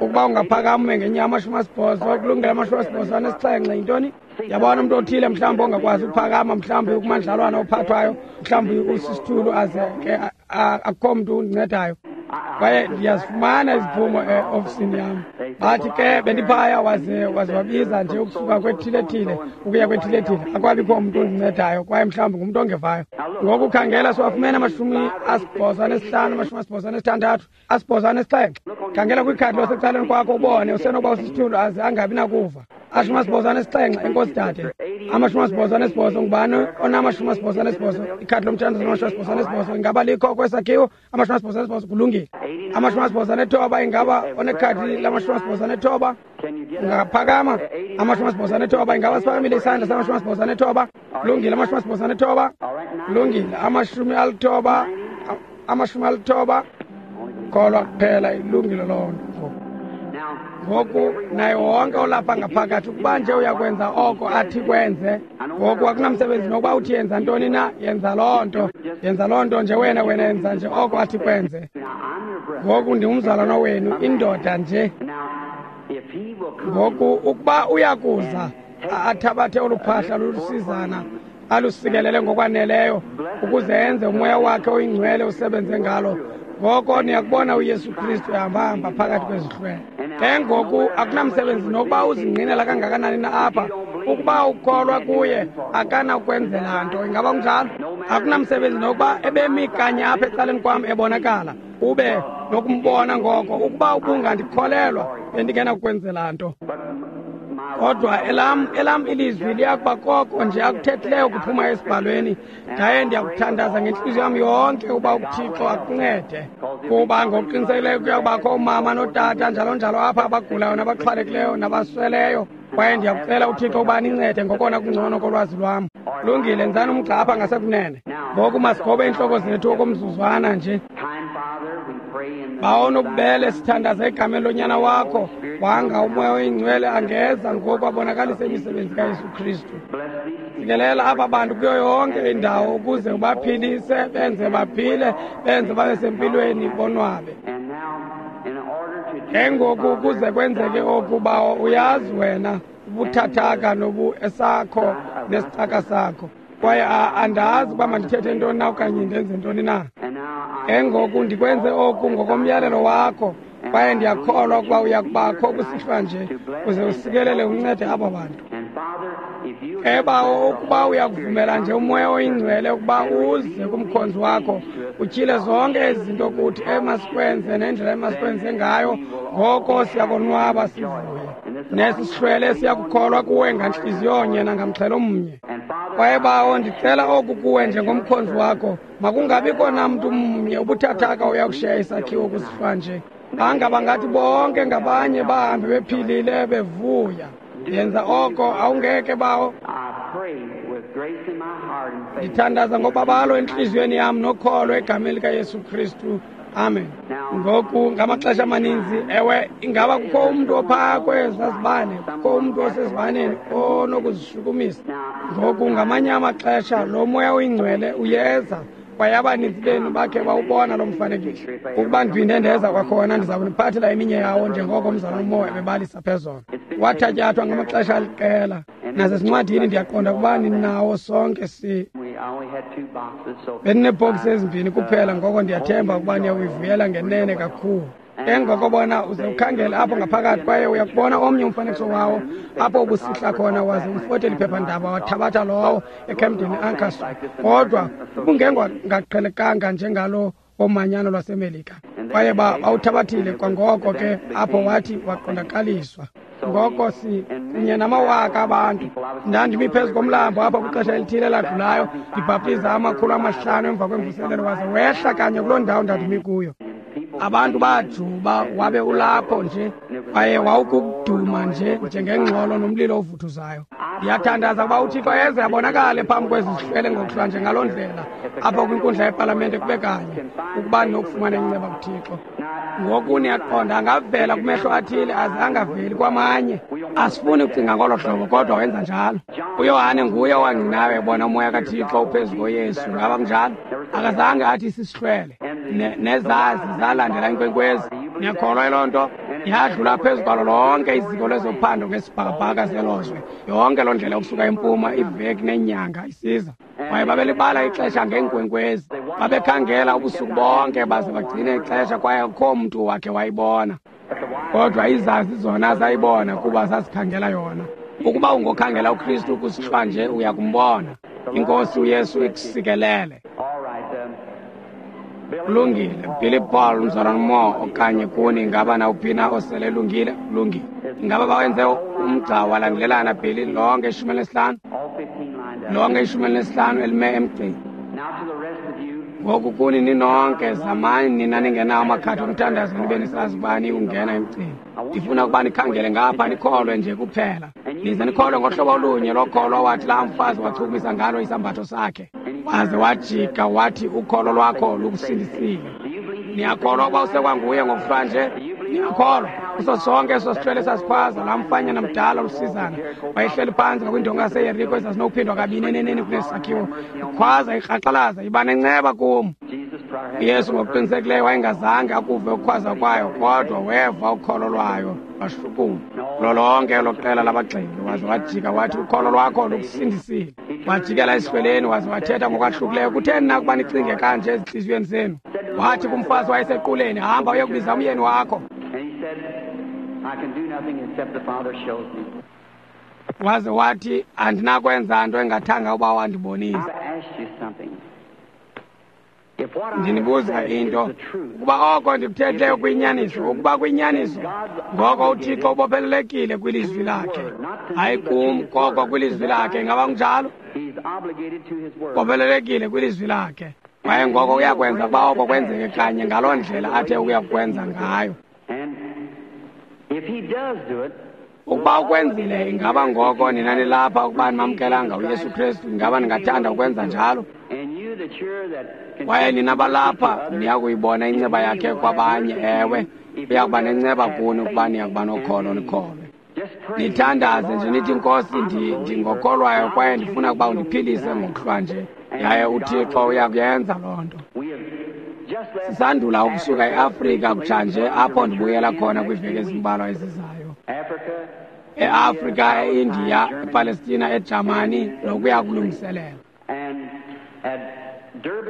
ukuba ungaphakama ume ngenyawo. Amashumi asibhozo. Kulungile. Amashumi asibhozo anesixhenxe yintoni? Yabona umntu othile mhlawumbi ongakwazi ukuphakama, mhlawumbi kumandlalwana ophathwayo, mhlawumbi usisithulu, aze ke akukho mntu undincedayo. Kwaye ndiyazifumana iziphumo eofisini yam. Bathi ke bendiphaya, waze waze wabiza nje ukusuka kwethile-thile ukuya kwethile-thile, akwabikho mntu undincedayo, kwaye mhlawumbi ngumntu ongevayo. Ngoku khangela, siwafumene amashumi asibhozo anesihlanu, amashumi asibhozo anesithandathu, asibhozo anesixhenxe. Khangela kwikhadi losecaleni kwakho ubone, usenokuba usisithulu aze angabi nakuva. Ashumi asibhozo anesixhenxe. Enkosi dade. Amashumi asibhozo anesibhozo. Ngubani onamashumi asibhozo anesibhozo? Ikhadi lomthandazo lamashumi asibhozo anesibhozo ingaba likho kwesakhiwo? Amashumi asibhozo anesibhozo. Kulungile. Amashumi asibhozo anethoba. Ingaba onekhadi lamashumi asibhozo anethoba ungaphakama? Amashumi asibhozo anethoba. Ingaba siphakamile isandla samashumi asibhozo anethoba? Kulungile. Amashumi asibhozo anethoba. Kulungile. Amashumi alithoba, amashumi alithoba. Kholwa kuphela. Ilungile loo nto. Ngoku naye wonke olapha ngaphakathi, ukuba nje uyakwenza oko athi kwenze. Ngoku akunamsebenzi nokuba uthi yenza ntoni na, yenza loo nto, yenza loo nto nje wena, wena yenza nje oko athi kwenze. Ngoku ndingumzalwana wenu, indoda nje. Ngoku ukuba uyakuza athabathe olu phahla lulusizana alusikelele ngokwaneleyo ukuze enze umoya wakhe oyingcwele usebenze ngalo, ngoko niyakubona uYesu Kristu ehambahamba phakathi kwezihlwele. Ke ngoku akunamsebenzi nokuba uzingqinela kangakanani na apha, ukuba ukholwa kuye akanakwenzela nto. Ingaba kunjalo? Akunamsebenzi nokuba ebemi kanye apha ecaleni kwam ebonakala, ube nokumbona, ngoko ukuba ubungandikholelwa bendingenakukwenzela nto. Kodwa elam elam ilizwi liyakuba koko nje akuthethileyo kuphuma esibhalweni. Ndaye ndiyakuthandaza ngentliziyo yam yonke uba uThixo akuncede, kuba ngokuqinisekileyo kuyakubakho umama notata njalo njalo apha abagulayo nabaxhwalekileyo nabasweleyo. Kwaye ndiyakucela uThixo uba nincede ngokona kungcono kolwazi lwam. Lungile, nzani umgca apha ngasekunene. Ngoku masigobe iintloko zethu okomzuzwana nje. Bawo nobubele, sithandaza egameni lonyana wakho. Wanga uMoya oyiNgcwele angeza ngoku abonakalise imisebenzi kaYesu Kristu. Sikelela aba bantu kuyo yonke indawo ukuze ubaphilise, benze baphile, benze babe sempilweni, bonwabe. Ke ngoku ukuze kwenzeke oku, Bawo, uyazi wena ubuthathaka nobu esakho nesicaka sakho. Kwaye andazi uba mandithethe ntoni na okanye ndenze ntoni na. Ke ngoku ndikwenze oku ngokomyalelo wakho, kwaye ndiyakholwa ukuba uyakubakho kusihlwa nje uze usikelele uncede aba bantu. Ke Bawo, ukuba uyakuvumela nje uMoya oyiNgcwele ukuba uze kumkhonzi wakho, utyhile zonke ezi zinto kuthi emasikwenze nendlela emasikwenze ngayo, ngoko siyakonwaba sivuye. Nesi sihlwele siyakukholwa kuwe ngantliziyonye nangamxhelo mnye. Kwaye Bawo, ndicela oku kuwe njengomkhonzi wakho, makungabikho namntu mnye ubuthathaka uyakushiya isakhiwo kusihlwa nje. Banga bangathi bonke ngabanye bahambe bephilile bevuya. Yenza oko, awungeke Bawo. Ndithandaza ngobabalo entliziyweni yam nokholo egameni likaYesu Kristu. Amen. Ngoku ngamaxesha amaninzi, ewe, ingaba kukho umntu ophaa kwezaa zibane, kukho umntu osezibaneni onokuzishukumisa. Ngoku ngamanye amaxesha lo Moya oyiNgcwele uyeza, kwaye abaninzi benu bakhe bawubona lo mfanekiso. Ukuba ndiphinde ndeza kwakhona, ndiza kuniphathela eminye yawo njengoko umzalwana uMoya ebebalisa phezolo. Wathatyathwa ngamaxesha aliqela. Nasezincwadini ndiyaqonda ukuba ninawo sonke si Bendinebhokisi ezimbini kuphela, ngoko ndiyathemba ukuba niyawuyivuyela ngenene kakhulu. Ke ngoko bona uze ukhangele apho ngaphakathi, kwaye uyakubona omnye umfanekiso wawo apho ubusihla khona, waze umfotele iphephandaba wathabatha lowo eCamden Ancaster. Kodwa ubungengaqhelekanga njengalo womanyano lwaseMelika. Kwaye bawuthabathile kwangoko ke apho wathi waqondakaliswa. Ngoko si kunye namawaka abantu. Ndandimi phezu komlambo apha kwixesha elithile eladlulayo, ndibhaptiza amakhulu amahlanu emva kwemvuselelo, waze wehla kanye kuloo ndawo ndandimi kuyo. Abantu bajuba, wabe ulapho nje, kwaye wawukuduma nje njengengxolo nomlilo ovuthuzayo. Ndiyathandaza ukuba uThixo eze abonakale phambi kwezi zihlwele ngokuhlwa nje ngaloo ndlela apho kwinkundla yepalamente kube kanye, ukuba ndinokufumana inceba kuThixo. Ngoku niyaqonda, angavela kumehlo athile aze angaveli kwamanye. Asifuni ukucinga ngolo hlobo, kodwa wenza njalo. UYohane nguye owangqinayo ebona uMoya kaThixo uphezu koYesu. Ngaba kunjalo? Akazange athi sisihlwele. Nezazi zalandela inkwenkwezi. Niyakholwa yiloo nto? Yadlula phezu kwalo lonke iziko lezophando ngesibhakabhaka selozwe. Yonke loo ndlela ukusuka empuma, iveki nenyanga isiza. Kwaye babelibala ixesha ngeenkwenkwezi. Babekhangela ubusuku bonke baze bagcine ixesha, kwaye akukho mntu wakhe wayibona. Kodwa izazi zona zayibona kuba zazikhangela yona. Ukuba ungokhangela uKristu kusihlwa nje, uyakumbona. INkosi uYesu ikusikelele. Kulungile. Billy Paul, umzalwana Moore, okanye kuni, ingaba nawuphi na osele elungile? Kulungile. Ingaba bawenze umgca walandelelana, Billy, lonke ishumi elinesihlanu? Lonke ishumi elinesihlanu elime emgceni. Ngoku kuni ninonke, zamani nina ningenawo amakhadi omthandazo nibe nisazi ukuba niyungena emgceni. Ndifuna ukuba nikhangele ngapha, nikholwe nje kuphela. Nize nikholwe ngohlobo olunye lokholo wathi laa mfazi wachukumisa ngalo isambatho sakhe. Waze wajika wathi ukholo lwakho lukusindisile. Niyakholwa ukuba usekwanguye ngokuhlwa nje? Niyakholwa? Kuso sonke eso sihlwele sasikhwaza, laa mfanyana mdala olusizana wayehleli phantsi ngakwindonga yaseYeriko ezazinokuphindwa kabini eneneni kunesi sakhiwo, ikhwaza ikraqalaza, iba nenceba kum. UYesu ngokuqinisekileyo wayengazange akuve ukukhwaza kwayo, kodwa weva ukholo lwayo lwashukuma kulo lonke elo qela labagxeki. Waze wajika wathi ukholo lwakho lukusindisile. Wajikela esihlweleni waze wathetha ngokwahlukileyo. Kutheni na ukuba nicinge kanje ezintliziyweni zenu? Wathi kumfazi wayesequleni, hamba uyokubiza umyeni wakho. Waze wathi andinakwenza nto engathanga uba wandibonisa. Ndinibuza into, ukuba oko ndikuthethileyo kuyinyaniso, ukuba kuyinyaniso, ngoko uThixo ubophelelekile kwilizwi lakhe. Hayi kum, koko kwilizwi lakhe. Ingaba kunjalo? Ubophelelekile kwilizwi lakhe. Kwaye ngoko uyakwenza ukuba oko kwenzeke kanye ngaloo ndlela athe uyakwenza ngayo. Ukuba ukwenzile, ingaba ngoko nina nilapha ukuba nimamkelanga uYesu Kristu, ingaba ningathanda ukwenza njalo? Kwaye nina balapha niyakuyibona inceba yakhe kwabanye, ewe, uyakuba nenceba kuni ukuba niyakuba nokholo nikholwe. Nithandaze nje nithi, Nkosi, ndingokholwayo kwaye ndifuna ukuba undiphilise ngokuhlwa nje. Yaye uThixo uyakuyenza loo nto. Sisandula ukusuka eAfrika kutshanje, apho ndibuyela khona kwiiveki ezimbalwa ezizayo. E-Afrika, e-India, ePalestina, eJamani, nokuya kulungiselela.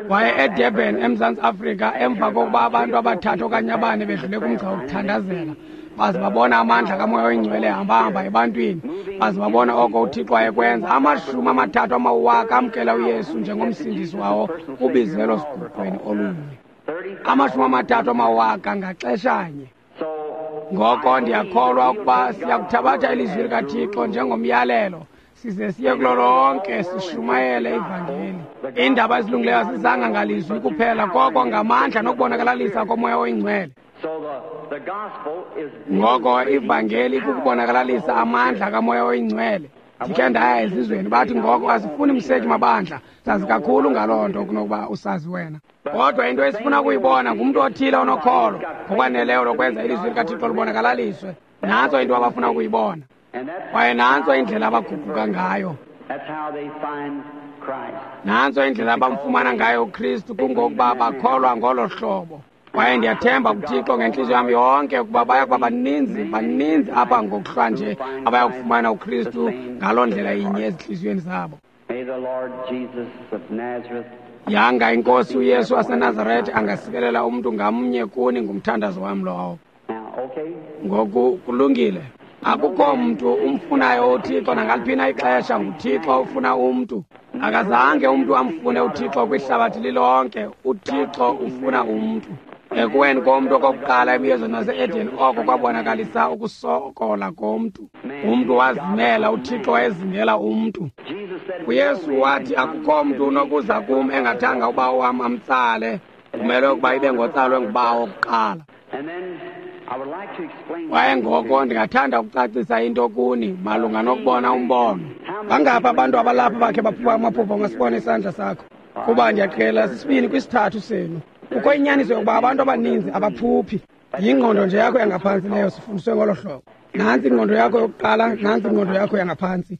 Kwaye eDurban, eMzantsi Afrika, emva kokuba abantu abathathu okanye abane bedlule kumgca wokuthandazela, baze babona amandla kaMoya oyiNgcwele ehamba-hamba ebantwini, baze babona oko uThixo wayekwenza. Amashumi amathathu amawaka amkela uYesu njengomsindisi wawo kubizelo siguqweni olunye. Amashumi amathathu amawaka ngaxeshanye. Ngoko ndiyakholwa ukuba siyakuthabatha ilizwi likaThixo njengomyalelo, size siye kulo lonke sishumayele ivangeli. Iindaba ezilungileyo azizanga ngalizwi kuphela, koko ngamandla nokubonakalalisa koMoya oyiNgcwele. Ngoko ivangeli ikukubonakalalisa amandla kaMoya oyiNgcwele. Ndikhe ndaya ezizweni, bathi ngoko asifuni mseki mabandla, sazi kakhulu ngaloo nto kunokuba usazi wena. Kodwa into esifuna ukuyibona ngumntu othile onokholo ngokwaneleyo lokwenza ilizwi likaThixo libonakalaliswe. Nantso into abafuna ukuyibona. Kwaye nantso indlela abaguquka ngayo. Nantso indlela abamfumana ngayo uKristu, kungokuba bakholwa ngolo hlobo. Kwaye ndiyathemba kuThixo ngentliziyo yam yonke ukuba baya kuba baninzi, baninzi apha ngokuhlwa nje abayakufumana uKristu ngaloo ndlela inye ezintliziyweni zabo. Yanga iNkosi uYesu waseNazaretha angasikelela umntu ngamnye kuni, ngumthandazo wam lowo. Ngoku kulungile. Akukho mntu umfunayo uThixo nangaliphi na ixesha, nguThixo ufuna umntu. Akazange umntu amfune uThixo kwihlabathi lilonke, uThixo ufuna umntu. Ekuweni komntu okokuqala emyezweni wase-Eden, oko kwabonakalisa ukusokola komntu. Umntu wazimela, uThixo wayezingela umntu. UYesu wathi, akukho mntu unokuza kum engathanga ubawo wam amtsale, kumele ukuba ibe ngotsalwe ngubawo kuqala. Kwaye ngoko ndingathanda ukucacisa into kuni malunga nokubona umbono. Bangaphi abantu abalapha bakhe baphupha amaphupha? Ungasibona isandla sakho. Kuba ndiyaqhela sisibini kwisithathu senu. Kukho inyaniso yokuba abantu abaninzi abaphuphi. Yingqondo nje yakho yangaphantsi leyo, sifundiswe ngolo hlobo. Nantsi ingqondo yakho yokuqala, nantsi ingqondo yakho yangaphantsi.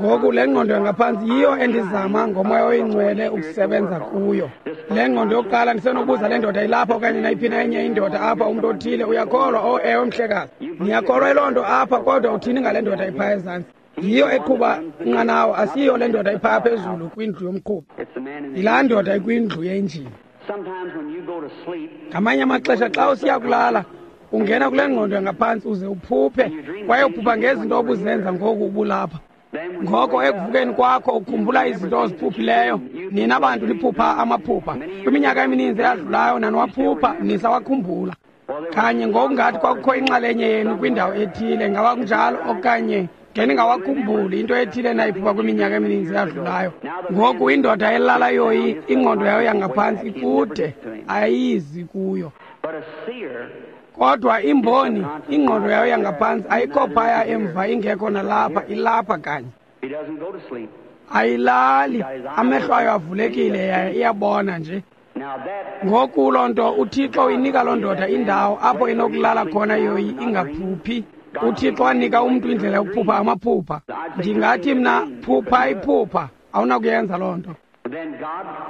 Ngoku le ngqondo yangaphantsi yiyo endizama ngoMoya oyiNgcwele ukusebenza kuyo. Le ngqondo yokuqala, ndisenokubuza le ndoda ilapha okanye nayiphi na enye indoda apha, umntu othile, uyakholwa? Oh, ewe, mhlekazi, niyakholwa yiloo nto apha, kodwa uthini ngale ndoda iphaya ezantsi? Yiyo eqhuba inqanawa, asiyiyo le ndoda iphaya phezulu kwindlu yomqhubi. Yilaa ndoda ikwindlu yenjini. Ngamanye amaxesha xa usiya kulala, ungena kule ngqondo yangaphantsi uze uphuphe, kwaye uphupha ngezinto obuzenza ngoku ubulapha. Ngoko ekuvukeni kwakho ukhumbula izinto oziphuphileyo. Nina bantu niphupha amaphupha. Kwiminyaka emininzi eyadlulayo naniwaphupha, nisawakhumbula. Kanye ngokungathi kwakukho inxalenye yenu kwindawo ethile, ngaba kunjalo okanye ngeningawakhumbuli into ethile nayiphupha kwiminyaka emininzi eyadlulayo. Ngoku indoda elala yoyi, ingqondo yayo yangaphantsi ikude, ayizi kuyo. Kodwa imboni, ingqondo yayo yangaphantsi ayikho phaya emva, ingekho nalapha, ilapha kanye. Ayilali, amehlo ayo avulekile, yaye iyabona nje. Ngoku loo nto uThixo uyinika loo ndoda indawo apho inokulala khona yoyi ingaphuphi. UThixo wanika umntu indlela yokuphupha amaphupha. Ndingathi mna, phupha iphupha, awunakuyenza loo nto.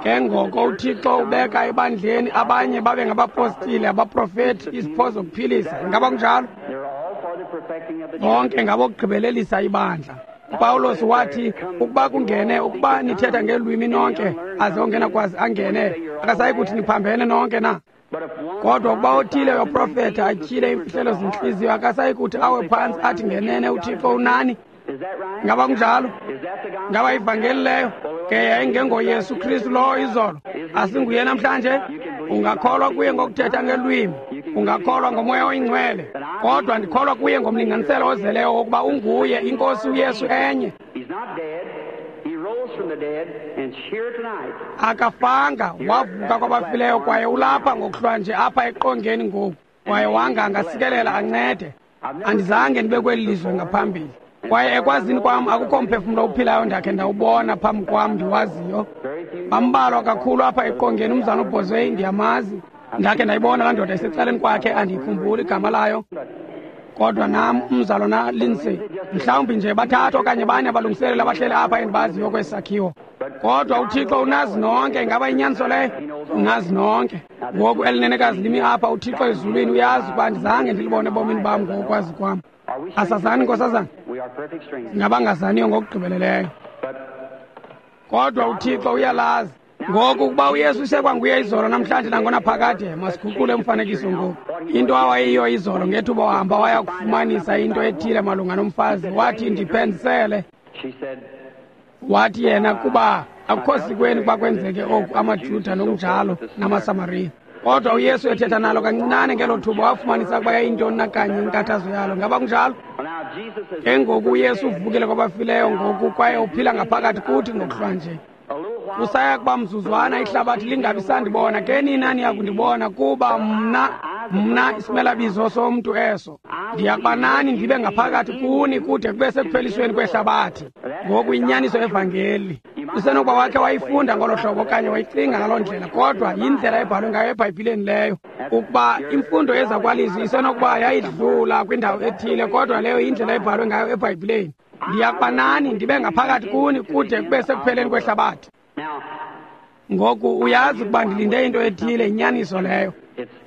Ke ngoko uThixo ubeka ebandleni abanye babe ngabapostile, abaprofeti, izipho zokuphilisa. Ingaba kunjalo? Bonke ngabokugqibelelisa ibandla. uPawulos wathi, ukuba kungene, ukuba nithetha ngeelwimi nonke, aze ongena kwazi angene, akasayi kuthi niphambene nonke na? Kodwa ukuba othile uyaprofetha atyhile iimfihlelo zentliziyo, akasayi kuthi awe phantsi athi ngenene uThixo unani. Ngaba kunjalo? Ngaba ivangeli leyo? Ke yayingengoYesu Kristu lowo izolo. Asinguye namhlanje? Ungakholwa kuye ngokuthetha ngelwimi, ungakholwa ngoMoya oyiNgcwele, kodwa ndikholwa kuye ngomlinganiselo ozeleyo wokuba unguye iNkosi uYesu enye. Akafanga, wavuka kwabafileyo kwaye ulapha ngokuhlwa nje apha eqongeni ngoku, kwaye wanga angasikelela ancede. Andizange ndibe kweli lizwe ngaphambili, kwaye ekwazini kwam akukho mphefumlo uphilayo ndakhe ndawubona phambi kwam ndiwaziyo. Bambalwa kakhulu apha eqongeni. Umzana uBhozweyi ndiyamazi, ndakhe ndayibona laa ndoda isecaleni kwakhe, andiyikhumbuli igama layo. Kodwa nam umzalwana Lindsay, mhlawumbi nje bathathu okanye bane abalungiseleli abahleli apha endibaziyo kwesi sakhiwo. Kodwa uThixo unazi nonke. Ingaba inyaniso leyo? Unazi nonke. Ngoku elinenekazi limi apha, uThixo ezulwini uyazi ukuba andizange ndilibone ebomini bam ngokwazi kwam. Asazani, nkosazana? Singabangazaniyo ngokugqibeleleyo, kodwa uThixo uyalazi. Ngoku ukuba uYesu isekwanguye izolo namhlanje nangonaphakade, masiguqule umfanekiso ngoku. Into awayiyo izolo ngethuba wahamba waya kufumanisa into ethile malunga nomfazi, wathi ndiphenzisele. Wathi yena kuba akukho sikweni ukuba kwenzeke oku amaJuda nokunjalo namaSamariya. Kodwa uYesu ethetha nalo kancinane ngelo thuba wafumanisa ukuba yayintoni na kanye inkathazo yalo. Ngaba kunjalo? Ke ngoku uYesu uvukile kwabafileyo ngoku kwaye uphila ngaphakathi kuthi ngokuhlwa nje. Kusaya kuba mzuzwana ihlabathi lingabi sandibona, ke nina niyakundibona, kuba mna mna isimelabizo somntu eso ndiyakuba nani ndibe ngaphakathi kuni kude kube sekuphelisweni kwehlabathi. Ngoku inyaniso evangeli usenokuba wakhe wayifunda ngolo hlobo okanye wayicinga ngaloo ndlela, kodwa yindlela ebhalwe ngayo eBhayibhileni leyo. Ukuba imfundo ezakwalizwi isenokuba yayidlula kwindawo ethile, kodwa leyo yindlela ebhalwe ngayo eBhayibhileni. Ndiyakuba nani ndibe ngaphakathi kuni kude kube sekupheleni kwehlabathi. Ngoku uyazi ukuba ndilinde into ethile, inyaniso leyo.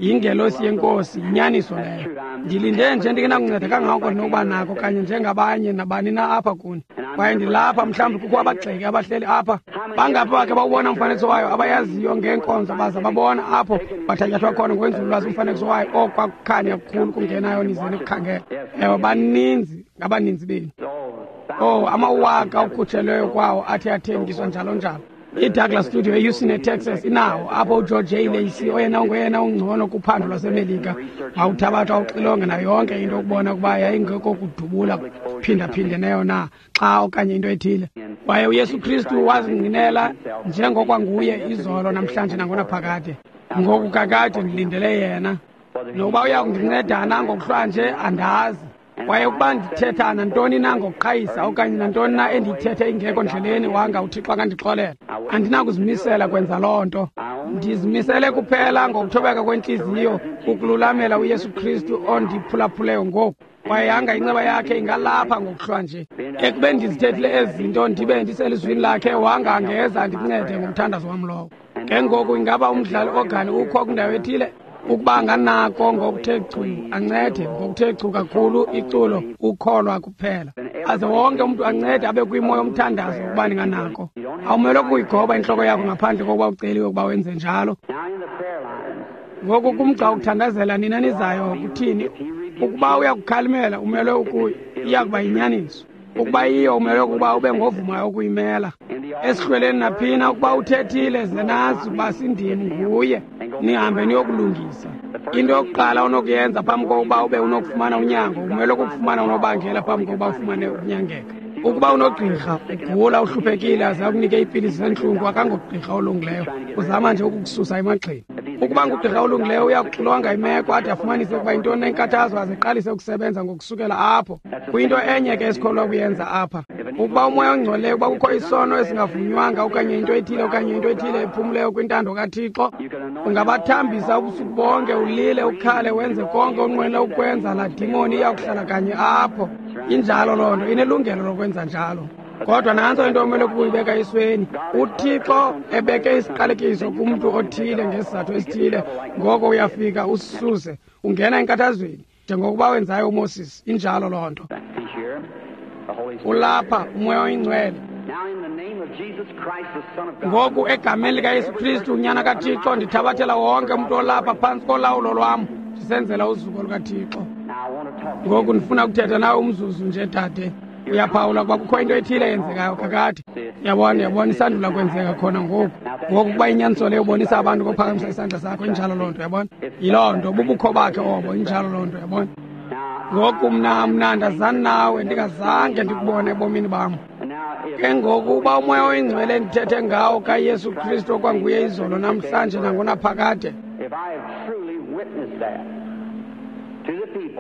Yingelosi yeNkosi, inyaniso leyo. Ndilinde nje ndingenakunceda kangako ndinokuba nako kanye njengabanye nabani na apha kuni. Kwaye ndilapha, mhlawumbi kukho abagxeki abahleli apha. Bangaphi bakhe bawubona umfanekiso wayo abayaziyo ngeenkonzo baza babona apho bathatyathwa khona ngokwenzululwazi umfanekiso wayo, okwakukhanya kukhulu kungenayo nize nikukhangela. Ewe, baninzi, ngabaninzi benu. Oh, amawaka okhutshelweyo kwawo athi athengiswa njalo njalo. I-Douglas Studio eHouston eTexas inawo apho uGeorge J. Lacey oyena ngoyena ungcono kuphando lwaseMelika wawuthabatha uxilonge nayo yonke into ukubona ukuba yayingekho kudubula phindaphindeneyo na xa okanye into ethile. Kwaye uYesu Kristu wazingqinela njengokwanguye izolo namhlanje nangonaphakade. Ngoku kakade ndilindele yena. Nokuba uya kundincedana ngokuhlwa nje andazi. Kwaye ukuba ndithetha nantoni na ngokuqhayisa okanye nantoni na endiyithethe ingekho ndleleni, wanga uThixo akandixolela. Andinakuzimisela kwenza loo nto. Ndizimisele kuphela ngokuthobeka kwentliziyo ukululamela uYesu Kristu ondiphulaphuleyo ngoku. Kwaye yanga inceba yakhe ingalapha ngokuhlwa nje. Ekubeni ndizithethile ezi zinto ndibe ndiselizwini lakhe, wanga angeza ndikuncede ngomthandazo wam lowo. Ke ngoku ingaba umdlali ogani ukho kwindawo ethile? Ukuba anganako ngokuthe chu, ancede ngokuthe chu kakhulu iculo ukholwa kuphela. Aze wonke umntu ancede abe kwimo yomthandazo ukuba ndinganako. Awumelwe kuyigoba intloko yakho ngaphandle kokuba uceliwe ukuba wenze njalo. Ngoku kumgca ukuthandazela nina nizayo kuthini? Ukuba uyakukhalimela umelwe ukuyi, iyakuba yinyaniso. Ukuba yiyo umelwe ukuba ube ngovumayo ukuyimela. Esihlweleni naphina ukuba uthethile ze nazi ukuba sindim nguye, nihambe niyokulungisa. Into yokuqala onokuyenza phambi kokuba ube unokufumana unyango, umelwe kukufumana unobangela phambi kokuba ufumane ukunyangeka. Ukuba unogqirha ugula uhluphekile aze akunike iipilisi zentlungu, akangogqirha olungileyo, uzama nje ukukususa emagxeni. Ukuba ngugqirha olungileyo uyakuxilonga imeko ade afumanise ukuba yintoni enkathazo aze aqalise ukusebenza ngokusukela apho. Kuyinto enye ke esikholwa kuyenza apha. Ukuba umoya ongcolileyo, ukuba kukho isono esingavunywanga okanye into ethile okanye into ethile ephumleyo kwintando kaThixo, ungabathambisa ubusuku bonke, ulile, ukhale, wenze konke onqwenela ukwenza, laa dimoni iyakuhlala kanye apho. Injalo loo nto, inelungelo lokwenza njalo. Kodwa nantso into omele ukuyibeka esweni. UThixo ebeke isiqalekiso kumntu othile ngesizathu esithile, ngoko uyafika usisuse, ungena enkathazweni njengokuba wenzayo uMoses. Injalo loo nto. Ulapha uMoya oyiNgcwele. Ngoku egameni likaYesu Kristu unyana kaThixo, ndithabathela wonke umntu olapha phantsi kolawulo lwam, ndisenzela uzuko lukaThixo. Ngoku ndifuna ukuthetha nawe umzuzu nje, dade. Uyaphawula ukuba kukho into ethile eyenzekayo kakade. Yabona, yabona isandula kwenzeka khona ngoku. Ngoku kuba inyaniso leyo ubonisa abantu ngophakamisa isandla sakho, injalo loo nto, yabona? Yiloo nto, bubukho bakhe obo, injalo loo nto, yabona? Ngoku mna mna ndazani nawe, ndingazange ndikubone ebomini bam. Ke ngoku uba uMoya oyiNgcwele endithethe ngawo kaYesu Kristu okwanguye izolo namhlanje nangonaphakade,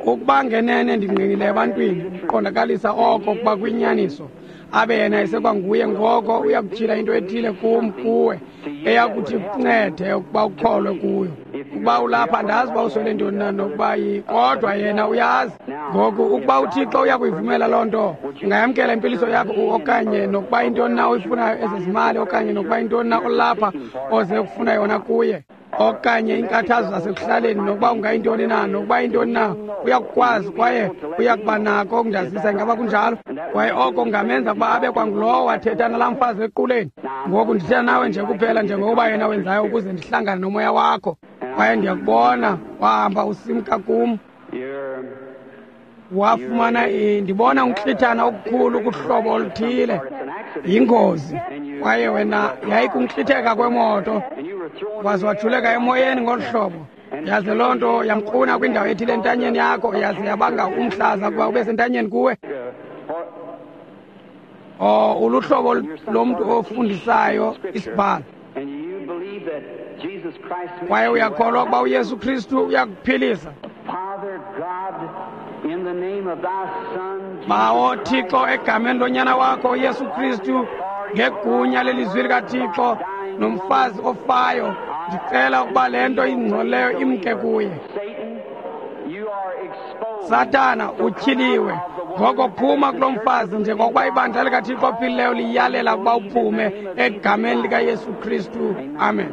ukuba ngenene ndingqinile ebantwini ukuqondakalisa oko kuba kwinyaniso, abe yena esekwanguye, ngoko uyakutyhila into ethile kum kuwe eyakuthi kuncede ukuba ukholwe kuyo. Ukuba ulapha andazi uba uswele ntoni na nokuba kodwa yena uyazi. Ngoku ukuba uThixo uyakuyivumela loo nto, ungayamkela impiliso yakho okanye nokuba intoni na oyifunayo ezezimali okanye nokuba intoni na olapha oze kufuna yona kuye, okanye iinkathazo zasekuhlaleni, nokuba ungayintoni na, nokuba intoni na, uyakukwazi kwaye uyakuba nako ukundazisa. Ingaba kunjalo? Kwaye oko kungamenza ukuba abe kwangulowo wathetha nalaa mfazi equleni. Ngoku ndithetha nawe nje kuphela njengokuba yena wenzayo ukuze ndihlangane nomoya wakho. Kwaye ndiyakubona wahamba usimka kum, wafumana ndibona unklithana okukhulu kuhlobo oluthile, yingozi. Kwaye wena yayikunklitheka kwemoto, waze wajuleka emoyeni ngolu hlobo, yaze loo nto yamkruna kwindawo ethile entanyeni yakho, yaze yabanga umhlaza ukuba ube sentanyeni kuwe. O uluhlobo lomntu ofundisayo isibhalo, kwaye uyakholwa ukuba uYesu Kristu uyakuphilisa. Bawo Thixo, egameni lonyana wakho uYesu Kristu, ngegunya lelizwi likaThixo nomfazi ofayo, ndicela ukuba le nto ingcolileyo imke kuye. Sathana, utyhiliwe. Ngoko phuma kulo mfazi njengokuba ibandla likaThixo ophilileyo liyalela ukuba uphume egameni likaYesu Kristu. Amen.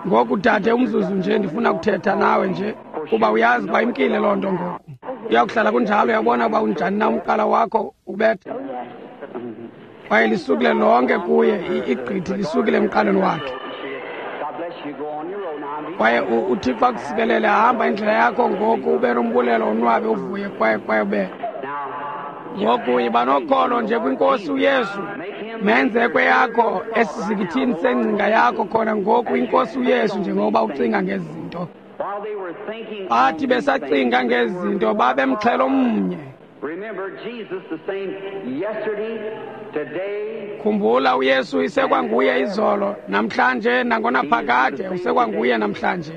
Ngoku dade, umzuzu nje, ndifuna ukuthetha nawe nje, kuba uyazi uba imkile loo nto ngoku. Uyakuhlala kunjalo, uyabona uba unjani na umqala wakho ubetha. Kwaye lisukile lonke kuye, igqithi lisukile emqaleni wakhe. Kwaye uThixo akusikelele, hamba indlela yakho ngoku, ube nombulelo, onwabe, uvuye, kwaye kwaye ube. Ngoku yiba nokholo nje kwiNkosi uYesu. Menze kweyakho esizikithini sengcinga yakho khona ngoku iNkosi uYesu, njengoba ucinga ngezinto. Bathi besacinga ngezinto babemxhelo mnye. Khumbula uYesu isekwanguye izolo, namhlanje nangonaphakade, usekwanguye namhlanje.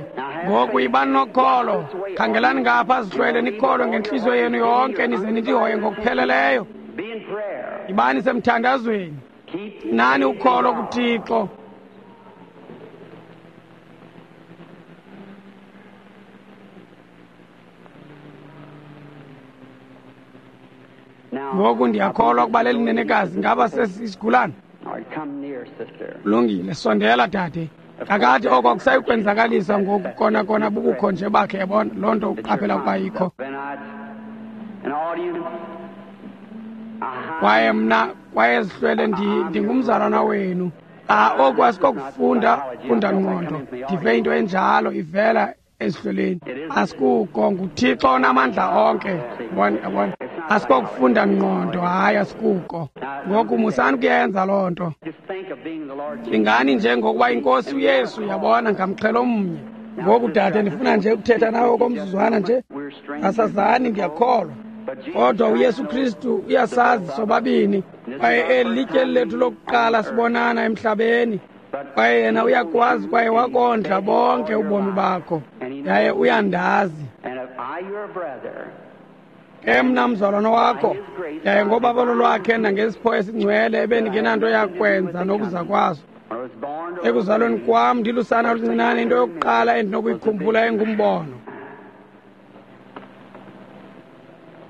Ngoku yibani nokholo, khangelani ngapha zihlwele, nikholwe ngentliziyo yenu yonke, nize nilihoye ngokupheleleyo. Yibani semthandazweni, nani ukholo kuThixo. Ngoku ndiyakholwa ukuba leli nenekazi ngaba sesisigulana. Lungile, sondela dade. Kakade oko akusayikwenzakalisa ngoku, kona kona bubukho nje bakhe, yabona loo nto uqaphela ukuba ikho. Kwaye mna, kwaye zihlwele, ndingumzalwana wenu. Ah, oku asikokufunda funda ngqondo, ndive into enjalo ivela ezihlweleni. Asikuko, nguThixo onamandla onke. Yabona, yabona. Asikokufunda ngqondo, hayi asikuko. Ngoku musani kuyenza loo nto. Cingani nje ngokuba iNkosi uYesu, yabona, ngamxhelo omnye. Ngoku dade, ndifuna nje ukuthetha nawe okomzuzwana nje. Asazani, ndiyakholwa. Kodwa uYesu Kristu uyasazi sobabini. Kwaye eli litye lethu lokuqala sibonana emhlabeni. Kwaye yena uyakwazi kwaye wakondla bonke ubomi bakho. Yaye uyandazi. Ke mna mzalwana wakho, yaye ngobabalo lwakhe nangesipho esingcwele ebendingenanto yakwenza nokuza kwaso. Ekuzalweni kwam ndilusana oluncinane, into yokuqala endinokuyikhumbula engumbono.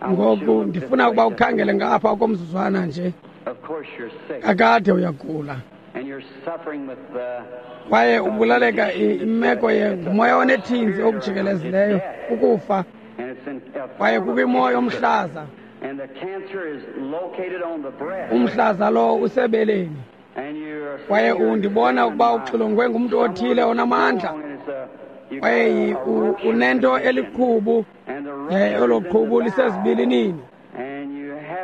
Ngoku ndifuna ukuba ukhangele ngapha okomzuzwana nje. Kakade uyagula. Kwaye ubulaleka imeko ngumoya onethinzi okujikelezileyo, ukufa. Kwaye kukwimoya omhlaza. Umhlaza lo usebeleni. Kwaye undibona ukuba uxilongwe ngumntu othile onamandla. Kwaye unento eliqhubu, yaye elo qhubu lisezibilinini.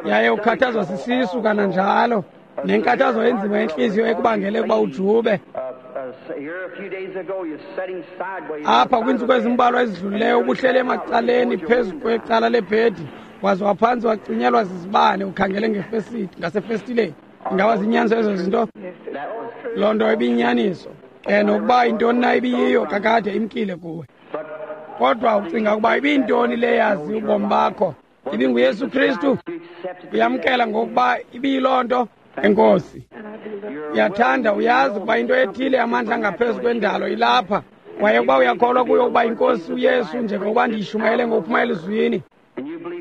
Yaye ukhathazwa sisisu kananjalo. Nenkathazo enzima yentliziyo ekubangele ukuba ujube. Apha kwiintsuku ezimbalwa ezidlulileyo ubuhleli emacaleni phezu kwecala lebhedi, waze waphantsi wacinyelwa zizibane ukhangele ngefesiti ngasefestileni. Ingaba zinyaniso ezo zinto? Loo nto ibiyinyaniso. Ke nokuba yintoni na ibiyiyo kakade imkile kuwe. Kodwa ucinga ukuba ibiyintoni le yazi ubomi bakho? IbinguYesu Kristu? Uyamkela ngokuba ibiyiloo nto? Enkosi. Uyathanda, uyazi ukuba into ethile amandla angaphezu kwendalo ilapha. Kwaye ukuba uyakholwa kuyo ukuba iNkosi uYesu, njengokuba ndiyishumayele ngokuphuma elizwini,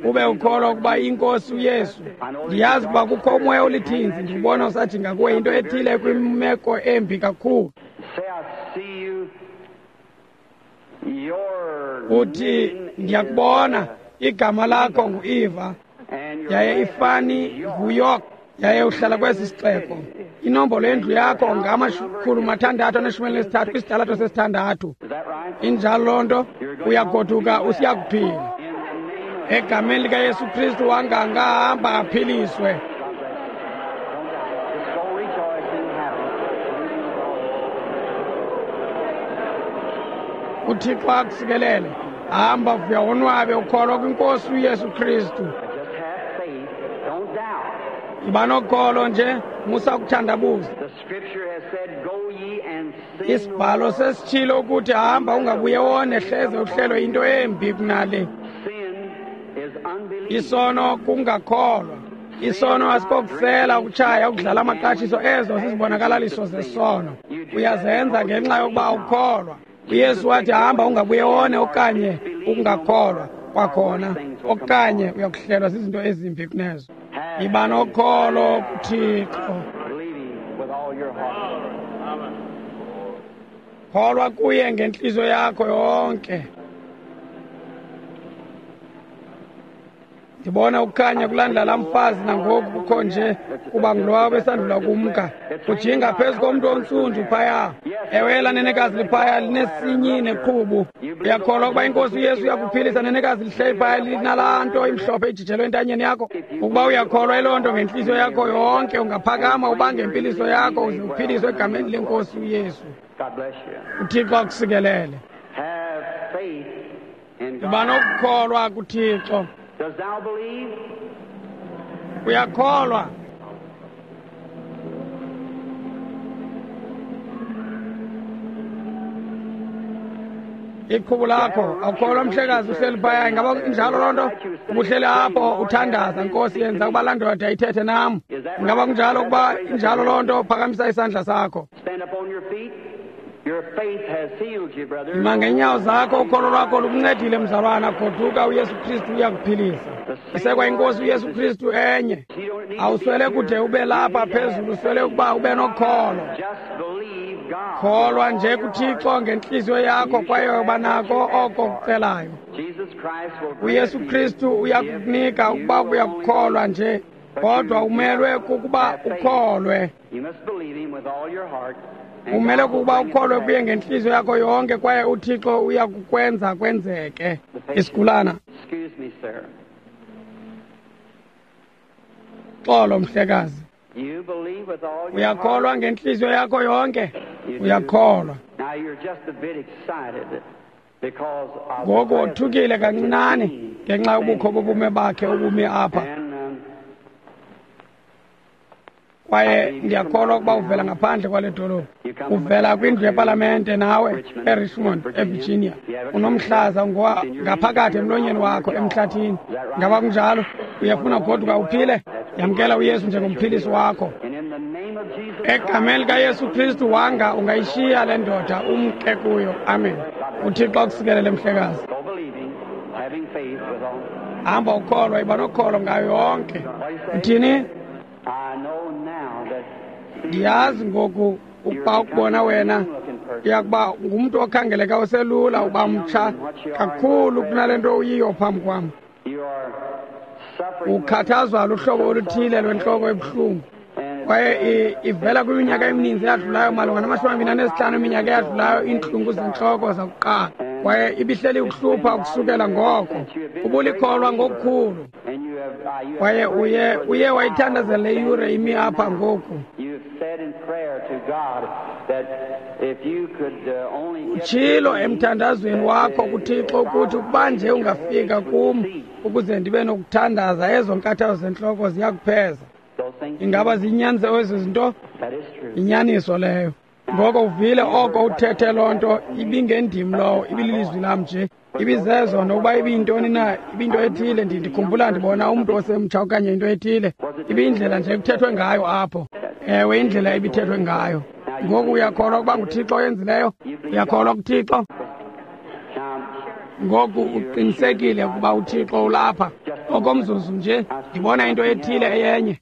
ube ukholwa ukuba iNkosi uYesu. Ndiyazi ukuba kukho umoya olithinzi, ndiwubona usajinga kuwe into ethile kwimeko embi kakhulu. Uthi, ndiyakubona, igama lakho ngu-Eva, yaye ifani nguYork, yaye uhlala kwesi sixeko. Inombolo yendlu yakho ngamakhulu mathandathu aneshumi elinesithathu kwisitalato sesithandathu. Injalo loo nto? Uyagoduka usiya kuphila. Egameni likaYesu Kristu wangangahamba aphiliswe. UThixo akusikelele. Hamba vuya wonwabe ukholwa kwiNkosi uYesu Kristu. Yiba nokholo nje, musa ukuthandabuza. Isibhalo sesitshilo ukuthi hamba ungabuye wone hleze uhlelwe into embi kunale. Isono kungakholwa. Isono asikokusela, ukutshaya, ukudlala amaqashiso, ezo zizibonakalaliso zesono. Uyazenza ngenxa yokuba awukholwa. uYesu wathi hamba ungabuye wone okanye ukungakholwa kwakhona, okanye uyakuhlelwa zizinto ezimbi kunezo. Yiba nokholo kuThixo. Kholwa kuye ngentliziyo yakho yonke. Ndibona ukukhanya kulandla laa mfazi nangoku kukho nje kuba ngulowa besandula kumka. Ujinga phezu komntu ontsundu phaya. Ewe, elaa nenekazi liphaya linesinyi neqhubu. Uyakholwa ukuba iNkosi uYesu uyakuphilisa? Nenekazi lihleli phaya linalaa nto imhlophe ijijelwe entanyeni yakho. Ukuba uyakholwa eloo nto ngentliziyo yakho yonke, ungaphakama ubange impiliso yakho uze uphiliswe egameni leNkosi uYesu. UThixo akusikelele. Yiba nokukholwa kuThixo. Does thou believe? Uyakholwa? Iqhubu lakho awukholwa mhlekazi uhleli phaya? Ingaba injalo loo nto? Ubuhleli apho uthandaza, Nkosi yenza ukuba laa ndoda ithethe nam. Ingaba kunjalo? Ukuba injalo loo nto, phakamisa isandla sakho. Stand up on your feet. Your faith has healed you, brother. Ima ngeenyawo zakho, ukholo lwakho lukuncedile mzalwana. Goduka, uYesu Kristu uyakuphilisa. Isekwa iNkosi uYesu Kristu enye. Awuswele kude ube lapha phezulu, uswele ukuba ube nokholo. Just believe God. Kholwa nje kuThixo ngentliziyo yakho kwaye uba nako oko kucelayo. Jesus Christ will uYesu Kristu uyakukunika ukuba uyakukholwa nje, kodwa umelwe kukuba ukholwe. You must believe him with all your heart. and Umele God will kukuba bring it to ukholwe pass. kuye ngentliziyo yakho yonke kwaye uThixo uyakukwenza kwenzeke. Isigulana, Excuse me, sir. xolo mhlekazi. You believe with all your Uyakholwa heart. ngentliziyo yakho yonke? Uyakholwa. Now you're just a bit excited because of the Ngoku presence wothukile kancinane of the King ngenxa yobukho bobume bakhe obumi apha. And um, Kwaye ndiyakholwa ukuba uvela ngaphandle kwale dolophu. Uvela kwindlu yepalamente nawe eRichmond, eVirginia. Unomhlaza ngowa- ngaphakathi emlonyeni wakho emhlathini. Ngaba kunjalo? Uyafuna ugoduka uphile? Yamkela uYesu njengomphilisi wakho. and in the name of Jesus Egameni likaYesu Kristu wanga ungayishiya le ndoda umke kuyo. Amen. UThixo akusikelele mhlekazi. Go believing, having faith with all. Hamba ukholwa, iba nokholo ngayo yonke. Uthini? I know now that Ndiyazi ngoku ukuba ukubona wena uyakuba ngumntu okhangeleka uselula, uba mtsha kakhulu kunale nto uyiyo phambi kwam. you are suffering with- Ukhathazwa luhlobo oluthile lwentloko ebuhlungu and kwaye i- ivela kwiminyaka emininzi eyadlulayo, malunga namashumi amabini anesihlanu iminyaka eyadlulayo, iintlungu zentloko zakuqala, kwaye ibihleli ukuhlupha ukusukela ngoko. Ubulikholwa ngokukhulu Kwaye uye uye wayithandazela le yure imi apha ngoku. Utshilo emthandazweni wakho kuThixo ukuthi ukuba nje ungafika kum ukuze ndibe nokuthandaza, ezo nkathazo zentloko ziyakupheza. Ingaba ziyinyaniso ezo zinto? Inyaniso leyo. Ngoko uvile oko uthethe loo nto, ibingendim lowo, ibililizwi lam nje. Ibizezo nokuba ibiyintoni na, ibinto ethile. Ndikhumbula ndibona umntu osemtsha okanye into ethile. Ibiyindlela nje ekuthethwe ngayo apho. Ewe, indlela ebithethwe ngayo. Ngoku uyakholwa ukuba nguThixo oyenzileyo? Uyakholwa kuThixo? Ngoku uqinisekile ukuba uThixo ulapha. Okomzuzu nje ndibona into ethile eyenye.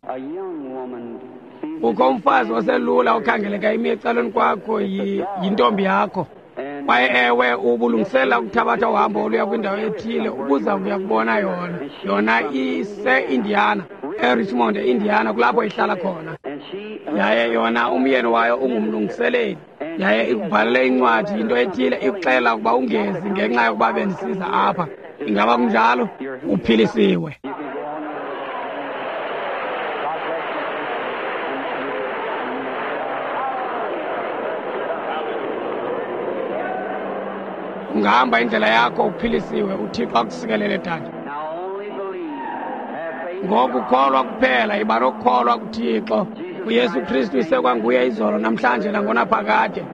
Kukho umfazi oselula okhangeleka imi ecaleni kwakho, yintombi yakho. Kwaye ewe, ubulungisela ukuthabatha uhambo oluya kwindawo ethile, ubuza kuya kubona yona. Yona ise-Indiana, eRichmond, e-Indiana, kulapho ihlala khona. Yaye yona umyeni wayo ungumlungiseleli. Yaye ikubhalele incwadi into ethile ikuxelela ukuba ungezi ngenxa yokuba bendisiza apha. Ingaba kunjalo? Uphilisiwe. Ungahamba indlela yakho uphilisiwe. UThixo akusikelele, dade. Ngoku kholwa kuphela, iba nokukholwa kuThixo. UYesu Kristu isekwanguye izolo, namhlanje nangonaphakade.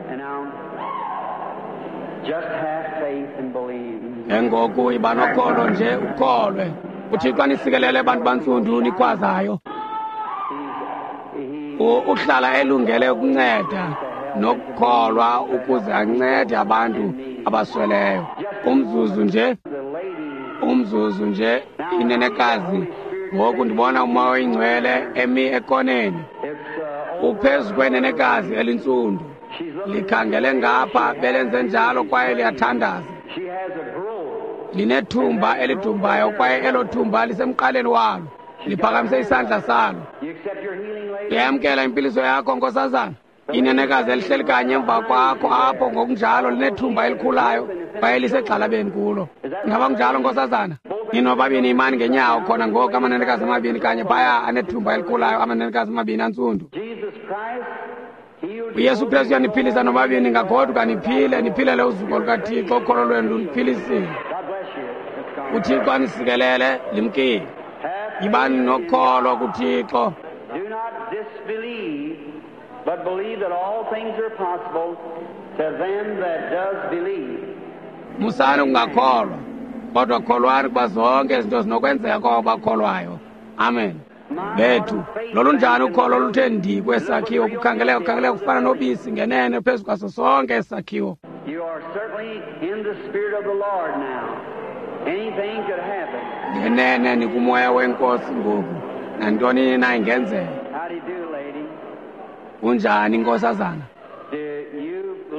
Engoku iba nokholo nje, ukholwe. UThixo anisikelele bantu bantsundu nikhwazayo. Uhlala elungele ukunceda nokukholwa ukuze ancede abantu abasweleyo. Umzuzu nje, umzuzu nje, inenekazi. Ngoku ndibona uMoya oyiNgcwele emi ekoneni. Uphezu kwenenekazi elintsundu. Likhangele ngapha, belenze njalo kwaye liyathandaza. Linethumba elidumbayo kwaye elo thumba lisemqaleni walo. Liphakamise isandla salo. Uyamkela impiliso yakho, nkosazana? Inenekazi elihleli kanye emva kwakho apho ngokunjalo linethumba elikhulayo kwaye lisegxalabeni kulo. Ingaba kunjalo, nkosazana? Ninobabini imani ngenyawo khona ngoku, amanenekazi amabini kanye phaya anethumba elikhulayo, amanenekazi amabini antsundu. UYesu Kristu uyaniphilisa nobabini, ngagoduka niphile, niphilele uzuko lukaThixo. Ukholo lwenu luniphilisile. UThixo anisikelele, limkile. Yibani nokholo kuThixo. But believe that all things are possible to them that does believe. Musani ukungakholwa, kodwa kholwani kuba zonke izinto zinokwenzeka kwabo bakholwayo. Amen. Bethu, lolunjani ukholo oluthe ndi kwesakhiwo, kukhangeleka kukhangeleka kufana nobisi ngenene phezu kwaso sonke esakhiwo. You are certainly in the spirit of the Lord now. Anything could happen. Ngenene nikumoya wenkosi ngoku. Nantoni na ingenzeka. How do you do, lady? Kunjani, nkosazana?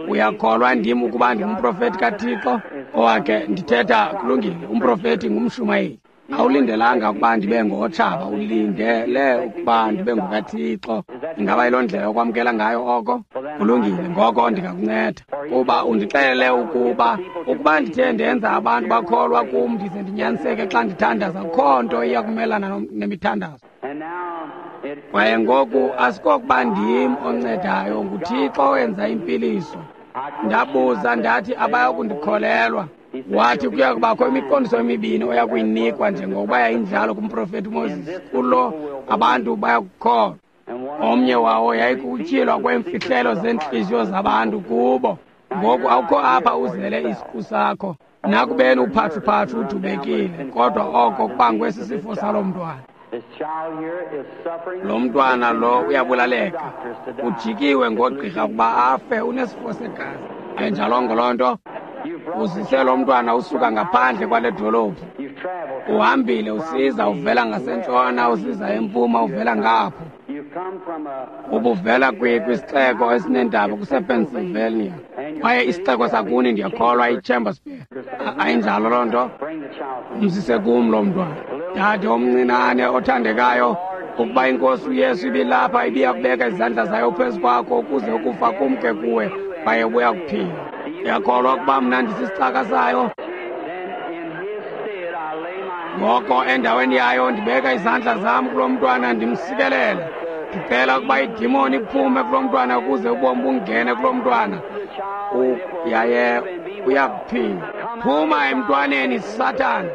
Uyakholwa ndim ukuba ndingumprofeti kaThixo? Owakhe ndithetha kulungile, umprofeti ngumshumayeli. Awulindelanga ukuba ndibe ngotshaba, ulindele ukuba ndibe ngokaThixo. Ingaba yiloo ndlela okwamkela ngayo oko? Kulungile, ngoko ndingakunceda. Kuba undixelele ukuba ukuba ndithe ndenza abantu bakholwa kum ndize ndinyaniseke xa ndithandaza, akukho nto iya kumelana nemithandazo. Kwaye ngoku asikokuba ndim oncedayo, nguThixo owenza impiliso. Ndabuza ndathi abayakundikholelwa. Wathi kuya kubakho imiqondiso emibini oya kuyinikwa njengokuba yayinjalo kumprofeti uMoses. Kulo abantu bayakukholwa. Omnye wawo yayikutyhilwa kweemfihlelo zeentliziyo zabantu kubo. Ngoku awukho apha uzele isiqu sakho. Nakubeni uphathuphathu udubekile, kodwa oko kubangwe sisifo salo mntwana. Lo mntwana lo uyabulaleka. Ujikiwe ngogqirha ukuba afe, unesifo segazi. Ayinjalongo loo nto? Uzise lo mntwana usuka ngaphandle kwale dolophu. Uhambile usiza uvela ngasentshona, usiza empuma, uvela ngapho. Ubuvela kwisixeko esinendaba kusePennsylvania. Kwaye isixeko sakuni ndiyakholwa iChambersburg. Ayinjalo loo nto? Umzise kum lo mntwana. Dade omncinane othandekayo, ukuba inkosi uYesu ibilapha ibiya kubeka izandla zayo phezu kwakho ukuze ukufa kumke kuwe kwaye ubuya kuphila. Uyakholwa ukuba mna ndisisicaka sayo? Ngoko endaweni yayo ndibeka izandla zam kulo mntwana ndimsikelele. Ndicela ukuba idimoni iphume kulo mntwana ukuze ubomi bungene kulo mntwana. Yaye uyakuphila. Phuma emntwaneni, Sathana.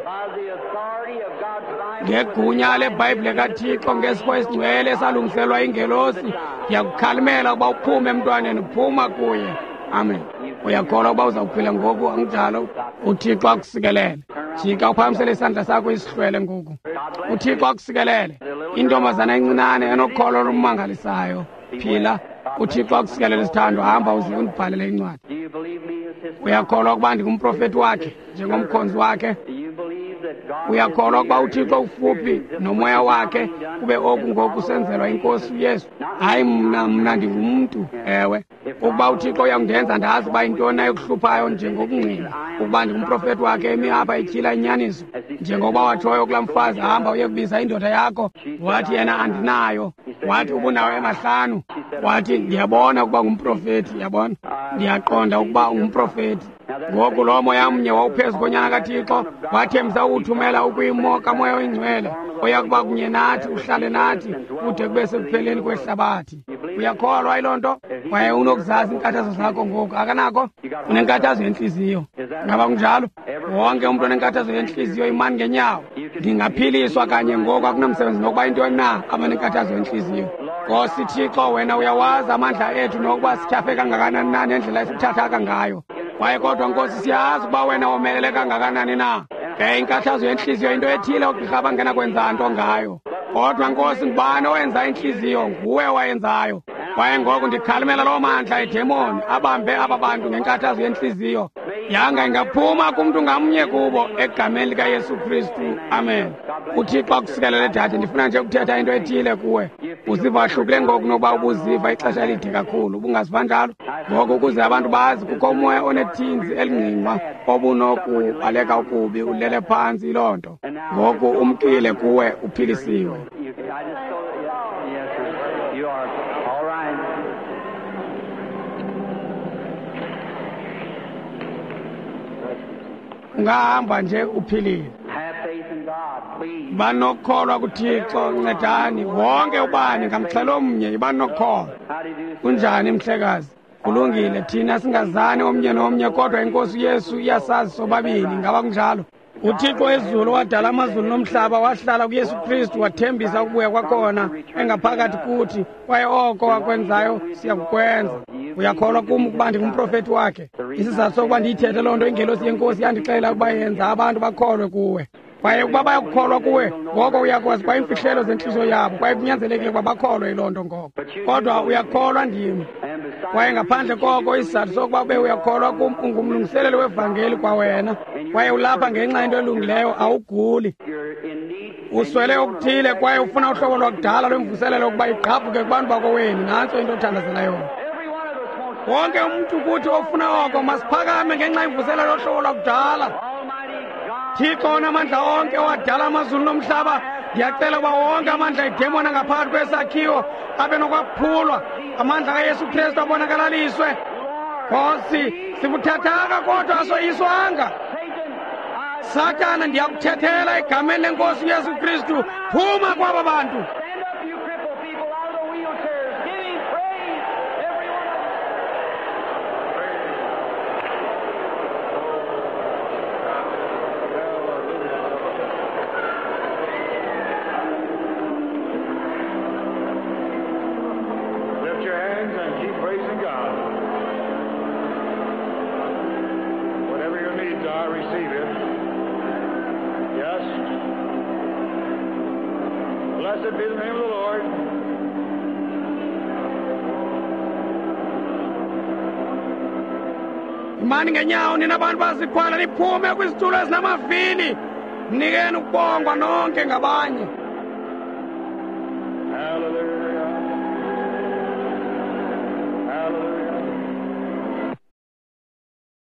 Ngegunya leBhayibhile kaThixo, ngesipho esingcwele esalungiselwa ingelosi, ndiyakukhalimela ukuba uphume emntwaneni, phuma kuye. Amen. Uyakholwa ukuba uzawuphila ngoku, anginjalo? UThixo akusikelele. Jika uphakamisele isandla sakho isihlwele ngoku. UThixo akusikelele. Intombazana encinane enokholo olumangalisayo. Phila. UThixo akusikelele, sithandwa. Hamba uze undibhalele incwadi. Uyakholwa ukuba ndingumprofeti wakhe, njengomkhonzi wakhe? Uyakholwa ukuba uThixo ufuphi nomoya wakhe kube oku ngoku senzelwa inkosi uYesu? Hayi mna, mna ndingumntu. Ewe, ukuba uThixo uyakundenza ndazi uba yintoni ayokuhluphayo njengokungqina ukuba ndingumprofeti wakhe emi apha etyhila inyaniso, njengokuba watshoyo kulaa mfazi, hamba uye kubiza indoda yakho. Wathi yena, andinayo. Wathi ubunayo emahlanu. Wathi ndiyabona ukuba ngumprofeti. Yabona, ndiyaqonda ukuba ungumprofeti. Ngoku lo moya mnye wawuphezu konyana kaThixo wathembisa ukuthumela ukwimo kaMoya oyiNgcwele oyakuba kunye nathi, uhlale nathi kude kube sekupheleni kwehlabathi. Uyakholwa yiloo nto? Kwaye unokuzazi iinkathazo zakho ngoku, akanako? Unenkathazo yentliziyo. Ngaba kunjalo? Wonke umntu onenkathazo yentliziyo imani ngenyawo. Ndingaphiliswa kanye ngoku, akunamsebenzi nokuba yintoni na abanenkathazo yentliziyo. Nkosi Thixo, wena uyawazi amandla ethu nokuba sityhafe kangakanani na nendlela esithathaka ngayo. Kwaye kodwa Nkosi, siyazi ukuba wena womelele kangakanani na. Ke inkathazo yentliziyo into ethile oogqirha abangenakwenza nto ngayo. Kodwa Nkosi, ngubani owenza intliziyo? Nguwe owayenzayo. Kwaye ngoku ndikhalimela loo mandla edemoni abambe aba bantu ngenkathazo yentliziyo. Yanga ingaphuma kumntu ngamnye kubo egameni likaYesu Kristu. Amen. UThixo akusikelele, dade. Ndifuna nje ukuthetha into ethile kuwe. Uziva wahlukile ngoku nokuba ubuziva ixesha elide kakhulu. Ubungaziva njalo? Ngoku ukuze abantu bazi, kukho umoya onethinzi elingqingqwa obunokubaleka ukubi, ulele phantsi yiloo nto. Ngoku umkile kuwe, uphilisiwe. You are all right. Ungahamba nje uphilile. Have faith in God, please. Banokukholwa kuThixo, ncedani wonke ubani ngamxhelo omnye, ibanokukholwa. How do you do? Kunjani, mhlekazi? Kulungile, thina singazani omnye nomnye, kodwa inkosi uYesu iyasazi sobabini. Ngaba kunjalo? UThixo wezulu wadala amazulu nomhlaba, wahlala kuYesu Kristu, wathembisa ukubuya kwakhona engaphakathi kuthi, kwaye oko wakwenzayo siyakukwenza. Uyakholwa kum ukuba ndingumprofeti wakhe? Isizathu sokuba ndiyithethe loo nto, ingelosi yenkosi yandixelela ukuba yenza abantu bakholwe kuwe. Kwaye ukuba bayakukholwa kuwe, ngoko uyakwazi kwa iimfihlelo zentliziyo yabo, kwaye kunyanzelekile ukuba bakholwe yiloo nto ngoko. Kodwa uyakholwa ndim. Kwaye ngaphandle koko, isizathu sokuba ube uyakholwa kum, ungumlungiseleli wevangeli kwawena. Kwaye ulapha ngenxa yento elungileyo, awuguli. You're in need. Uswele okuthile kwaye ufuna uhlobo lwakudala lwemvuselelo ukuba igqabhuke kubantu bakowenu. Nantso into othandazela yona. Every one of us wants Wonke umntu kuthi ofuna oko, masiphakame ngenxa yemvuselelo yohlobo lwakudala. Almighty God. Thixo onamandla onke owadala amazulu nomhlaba, ndiyacela ukuba wonke amandla edemoni angaphakathi kwesakhiwo abe nokwaphulwa, amandla kaYesu Kristu abonakalaliswe. Nkosi, sibuthathaka kodwa asoyiswanga. Satan, I Sathana, ndiyakuthethela egameni lenkosi uYesu Kristu, phuma kwaba bantu. stand up, you crippled people, out of the wheelchairs. Give him praise, every one of you. Lift your hands and keep praising God. Whatever your needs are, receive it. Yes. Blessed be the name of the Lord. Imani ngenyawo nina bantu bazikhwala, niphume kwizitulo ezinamavili. Mnikeni ukubongwa nonke ngabanye. Hallelujah.